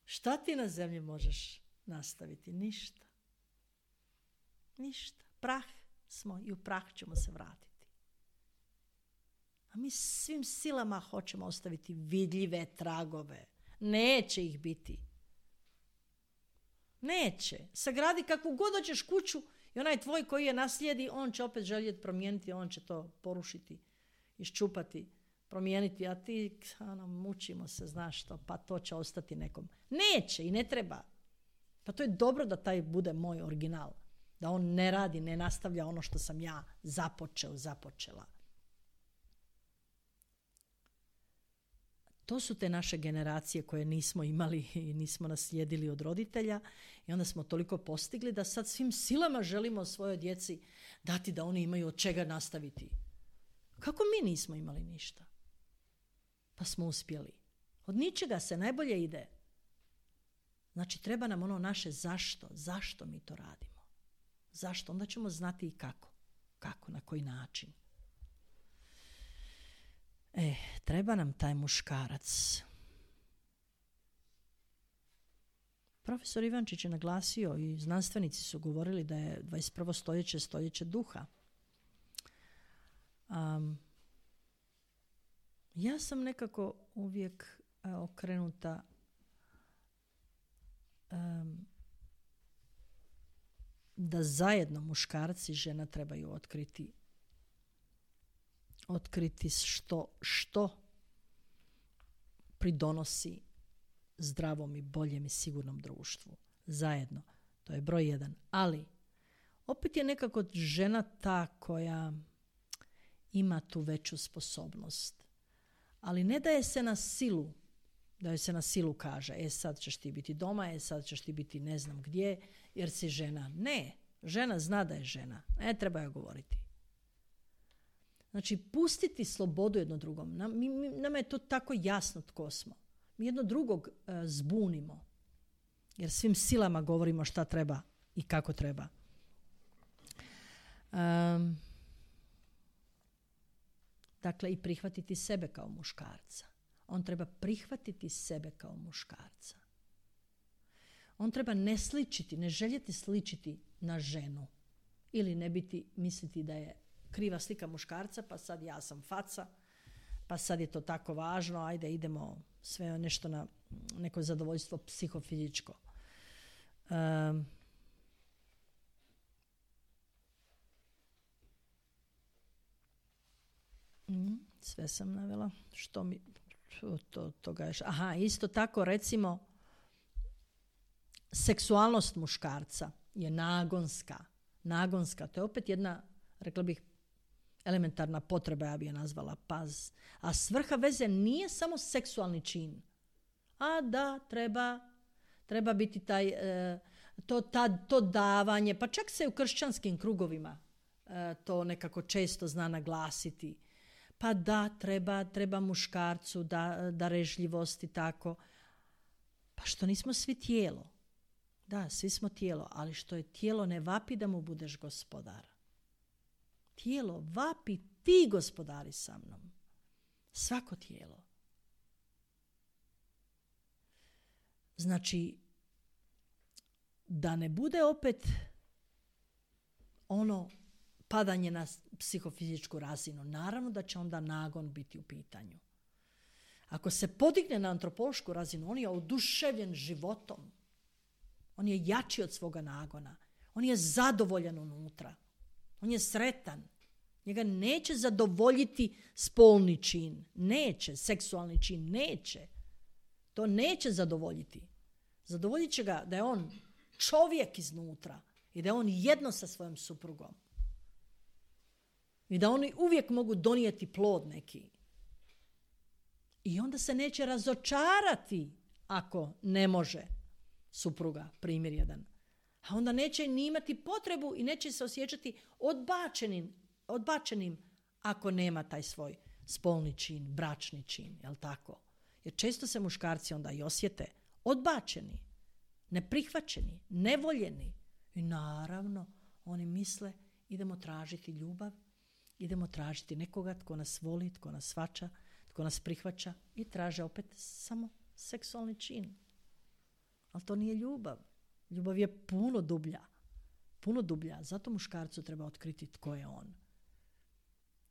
Šta ti na zemlji možeš nastaviti? Ništa. Ništa. Prah smo i u prah ćemo se vratiti. A mi svim silama hoćemo ostaviti vidljive tragove. Neće ih biti. Neće. Sagradi kakvu god hoćeš kuću i onaj tvoj koji je naslijedi, on će opet željeti promijeniti, on će to porušiti, iščupati, promijeniti, a ti ano, mučimo se, znaš što, pa to će ostati nekom. Neće i ne treba. Pa to je dobro da taj bude moj original. Da on ne radi, ne nastavlja ono što sam ja započeo, započela. To su te naše generacije koje nismo imali i nismo naslijedili od roditelja i onda smo toliko postigli da sad svim silama želimo svojoj djeci dati da oni imaju od čega nastaviti. Kako mi nismo imali ništa? Pa smo uspjeli. Od ničega se najbolje ide. Znači treba nam ono naše zašto. Zašto mi to radimo? Zašto? Onda ćemo znati i kako. Kako, na koji način. E, treba nam taj muškarac. Profesor Ivančić je naglasio i znanstvenici su govorili da je dvadeset prvo stoljeće stoljeće duha. Um, ja sam nekako uvijek uh, okrenuta um, da zajedno muškarci i žena trebaju otkriti otkriti što, što pridonosi zdravom i boljem i sigurnom društvu. Zajedno. To je broj jedan. Ali, opet je nekako žena ta koja ima tu veću sposobnost. Ali ne daje se na silu, da joj se na silu kaže, e sad ćeš ti biti doma, e sad ćeš ti biti ne znam gdje, jer si žena. Ne, žena zna da je žena. Ne treba joj govoriti. Znači, pustiti slobodu jedno drugom. Nam, mi, mi, nama je to tako jasno tko smo. Mi jedno drugog uh, zbunimo. Jer svim silama govorimo šta treba i kako treba. Um, dakle, i prihvatiti sebe kao muškarca. On treba prihvatiti sebe kao muškarca. On treba ne sličiti, ne željeti sličiti na ženu. Ili ne biti, misliti da je kriva slika muškarca, pa sad ja sam faca, pa sad je to tako važno, ajde idemo sve nešto na neko zadovoljstvo psihofizičko. Um, sve sam navela. Što mi... To, toga je, aha, isto tako recimo seksualnost muškarca je nagonska. Nagonska, to je opet jedna, rekla bih, elementarna potreba, ja bi je nazvala, paz. A svrha veze nije samo seksualni čin. A da, treba, treba biti taj, e, to, ta, to davanje, pa čak se u kršćanskim krugovima e, to nekako često zna naglasiti. Pa da, treba, treba muškarcu, da, darežljivost i tako. Pa što nismo svi tijelo? Da, svi smo tijelo, ali što je tijelo ne vapi da mu budeš gospodar. Tijelo vapi, ti gospodari sa mnom. Svako tijelo. Znači, da ne bude opet ono padanje na psihofizičku razinu. Naravno da će onda nagon biti u pitanju. Ako se podigne na antropološku razinu, on je oduševljen životom. On je jači od svoga nagona. On je zadovoljan unutra. On je sretan. Njega neće zadovoljiti spolni čin. Neće. Seksualni čin. Neće. To neće zadovoljiti. Zadovoljit će ga da je on čovjek iznutra i da je on jedno sa svojom suprugom. I da oni uvijek mogu donijeti plod neki. I onda se neće razočarati ako ne može supruga, primjer jedan. A onda neće ni imati potrebu i neće se osjećati odbačenim, odbačenim ako nema taj svoj spolni čin, bračni čin, jel tako? Jer često se muškarci onda i osjete odbačeni, neprihvaćeni, nevoljeni. I naravno, oni misle idemo tražiti ljubav, idemo tražiti nekoga tko nas voli, tko nas shvaća, tko nas prihvaća i traže opet samo seksualni čin. Ali to nije ljubav. Ljubav je puno dublja. Puno dublja. Zato muškarcu treba otkriti tko je on.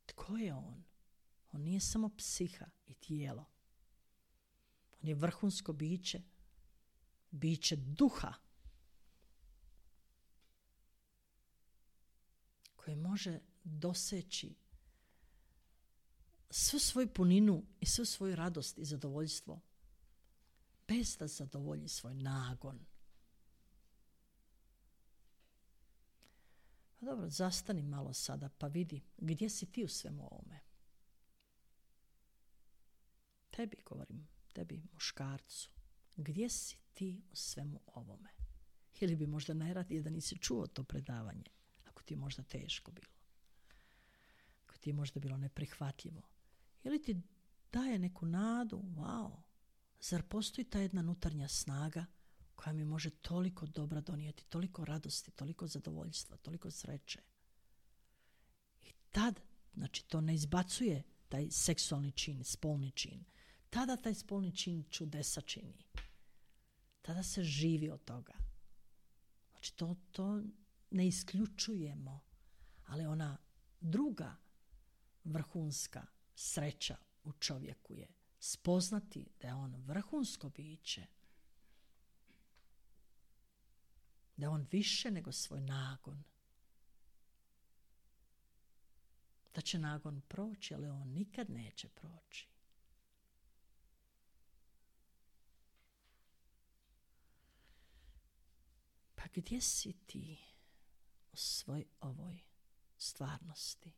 Tko je on? On nije samo psiha i tijelo. On je vrhunsko biće, biće duha koje može doseći svu svoju puninu i svu svoju radost i zadovoljstvo bez da zadovolji svoj nagon. Pa dobro, zastani malo sada pa vidi gdje si ti u svemu ovome. Tebi govorim, tebi muškarcu. Gdje si ti u svemu ovome? Ili bi možda najradije da nisi čuo to predavanje, ako ti je možda teško bilo. Ako ti je možda bilo neprihvatljivo. Ili ti daje neku nadu, wow, zar postoji ta jedna unutarnja snaga koja mi može toliko dobra donijeti, toliko radosti, toliko zadovoljstva, toliko sreće. I tad, znači to ne izbacuje taj seksualni čin, spolni čin. Tada taj spolni čin čudesa čini. Tada se živi od toga. Znači to, to ne isključujemo, ali ona druga vrhunska sreća u čovjeku je spoznati da je on vrhunsko biće, da je on više nego svoj nagon, da će nagon proći, ali on nikad neće proći. Pa gdje si ti u svoj ovoj stvarnosti?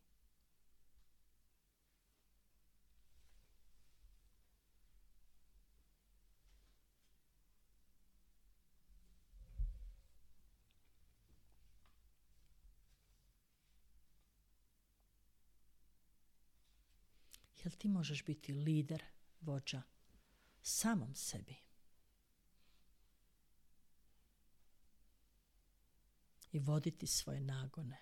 Jel ti možeš biti lider, vođa samom sebi? I voditi svoje nagone.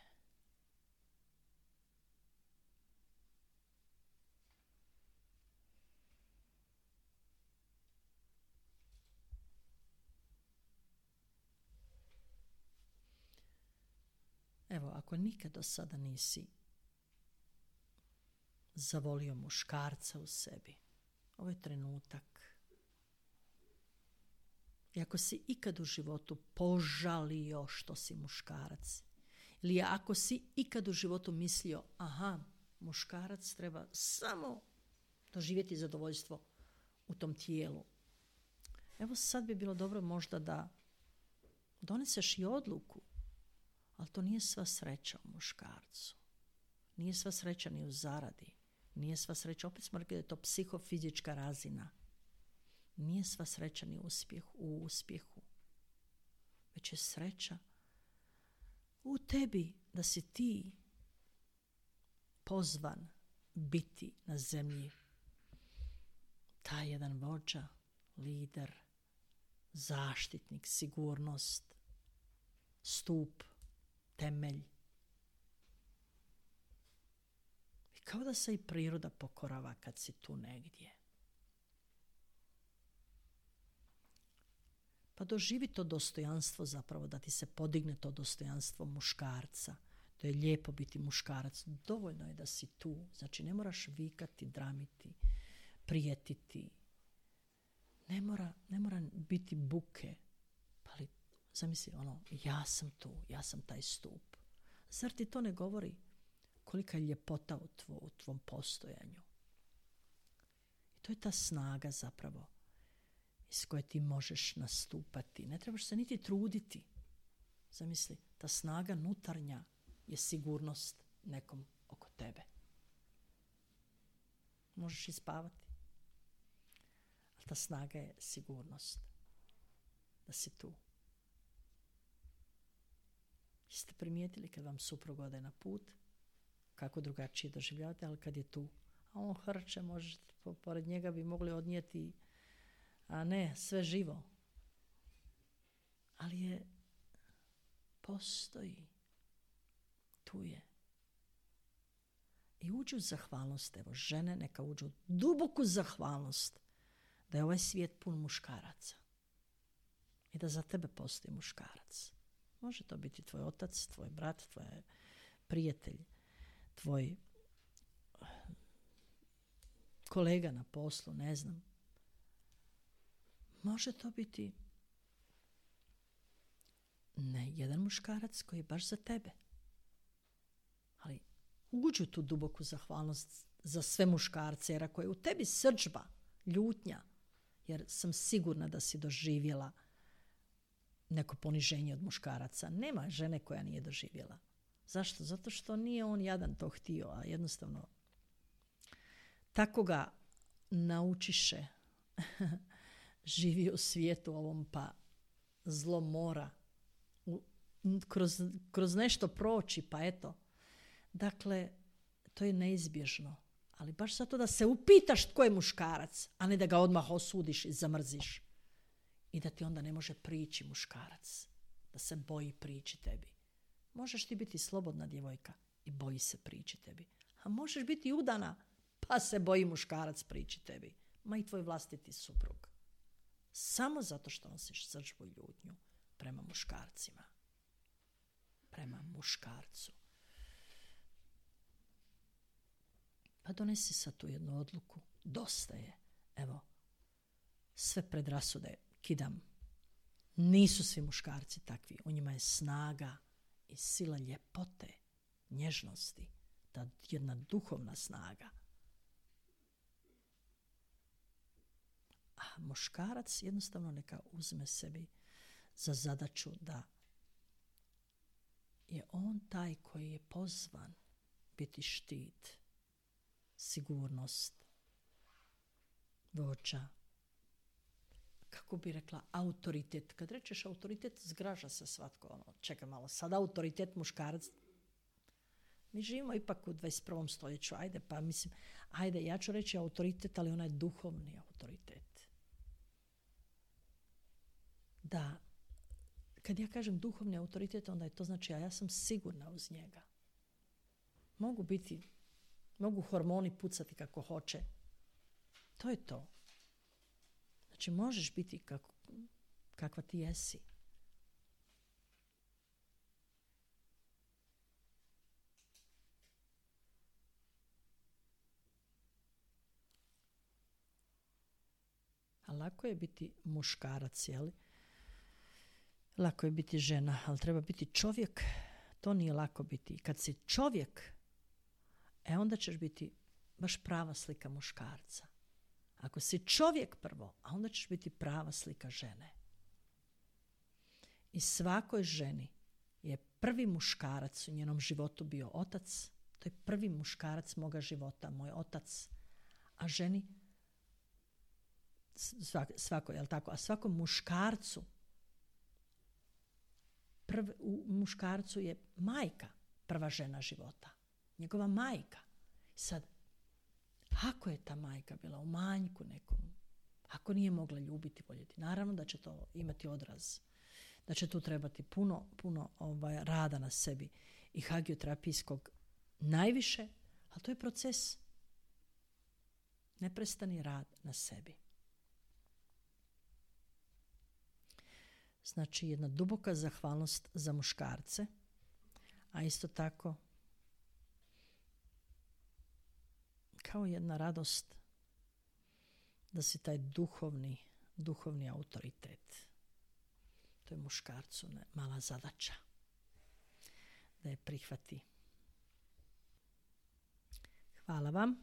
Evo, ako nikad do sada nisi zavolio muškarca u sebi, ovo je trenutak. I ako si ikad u životu požalio što si muškarac, ili ako si ikad u životu mislio, aha, muškarac treba samo doživjeti zadovoljstvo u tom tijelu. Evo sad bi bilo dobro možda da doneseš i odluku, ali to nije sva sreća u muškarcu. Nije sva sreća ni u zaradi. Nije sva sreća, opet smo rekli da je to psihofizička razina. Nije sva sreća ni uspjeh, u uspjehu. Već je sreća u tebi da si ti pozvan biti na zemlji taj jedan vođa, lider, zaštitnik, sigurnost, stup, temelj. I kao da se i priroda pokorava kad si tu negdje. Pa doživi to dostojanstvo zapravo, da ti se podigne to dostojanstvo muškarca. To je lijepo biti muškarac. Dovoljno je da si tu. Znači ne moraš vikati, dramiti, prijetiti. Ne mora, ne mora biti buke. Ali zamisli ono, ja sam tu, ja sam taj stup. Zar ti to ne govori kolika je ljepota u, tvo, u tvom postojanju? I to je ta snaga zapravo iz koje ti možeš nastupati. Ne trebaš se niti truditi. Zamisli, ta snaga unutarnja je sigurnost nekom oko tebe. Možeš i spavati. Ali ta snaga je sigurnost. Da si tu. Jeste primijetili kad vam suprug ode na put, kako drugačije doživljavate, ali kad je tu, a on hrče, možete, pored njega bi mogli odnijeti, a ne, sve živo. ali je postoji. Tu je. I uđu u zahvalnost, evo, žene neka uđu u duboku zahvalnost da je ovaj svijet pun muškaraca i da za tebe postoji muškarac. Može to biti tvoj otac, tvoj brat, tvoj prijatelj, tvoj kolega na poslu, ne znam. Može to biti ne jedan muškarac koji je baš za tebe. Ali uđu tu duboku zahvalnost za sve muškarce, jer ako je u tebi srdžba, ljutnja, jer sam sigurna da si doživjela neko poniženje od muškaraca. Nema žene koja nije doživjela. Zašto? Zato što nije on jadan to htio, a jednostavno tako ga naučiše živi u svijetu ovom, pa zlo mora u, kroz, kroz nešto proći, pa eto. Dakle, to je neizbježno. Ali baš zato da se upitaš tko je muškarac, a ne da ga odmah osudiš i zamrziš. I da ti onda ne može prići muškarac. Da se boji prići tebi. Možeš ti biti slobodna djevojka i boji se prići tebi. A možeš biti udana, pa se boji muškarac prići tebi. Ma i tvoj vlastiti suprug. Samo zato što nosiš srdžbu i ljutnju prema muškarcima. Prema muškarcu. Pa donesi sad tu jednu odluku. Dosta je. Evo, sve predrasude kidam. Nisu svi muškarci takvi. U njima je snaga i sila ljepote, nježnosti. Ta jedna duhovna snaga. A muškarac jednostavno neka uzme sebi za zadaću da je on taj koji je pozvan biti štit, sigurnost, vođa, kako bi rekla, autoritet. Kad rečeš autoritet, zgraža se svatko. Ono, čekaj malo, sad autoritet muškarac. Mi živimo ipak u dvadeset prvom stoljeću, ajde, pa mislim, ajde, ja ću reći autoritet, ali onaj duhovni autoritet. Da, kad ja kažem duhovni autoritet, onda je to znači, a ja sam sigurna uz njega. Mogu biti, mogu hormoni pucati kako hoće. To je to. Znači, možeš biti kako, kakva ti jesi. A lako je biti muškarac, jel? Lako je biti žena, ali treba biti čovjek. To nije lako biti. Kad si čovjek, e onda ćeš biti baš prava slika muškarca. Ako si čovjek prvo, a onda ćeš biti prava slika žene. I svakoj ženi je prvi muškarac u njenom životu bio otac. To je prvi muškarac moga života, moj otac. A ženi, svak, svako, jel tako? A svakom muškarcu, prv, u muškarcu je majka prva žena života. Njegova majka. Sad, ako je ta majka bila u manjku nekom, ako nije mogla ljubiti, voljeti, naravno da će to imati odraz. Da će tu trebati puno, puno ovaj, rada na sebi i hagioterapijskog najviše, ali to je proces. Neprestani rad na sebi. Znači, jedna duboka zahvalnost za muškarce, a isto tako kao jedna radost da si taj duhovni, duhovni autoritet. To je muškarcu ne, mala zadaća da je prihvati. Hvala vam.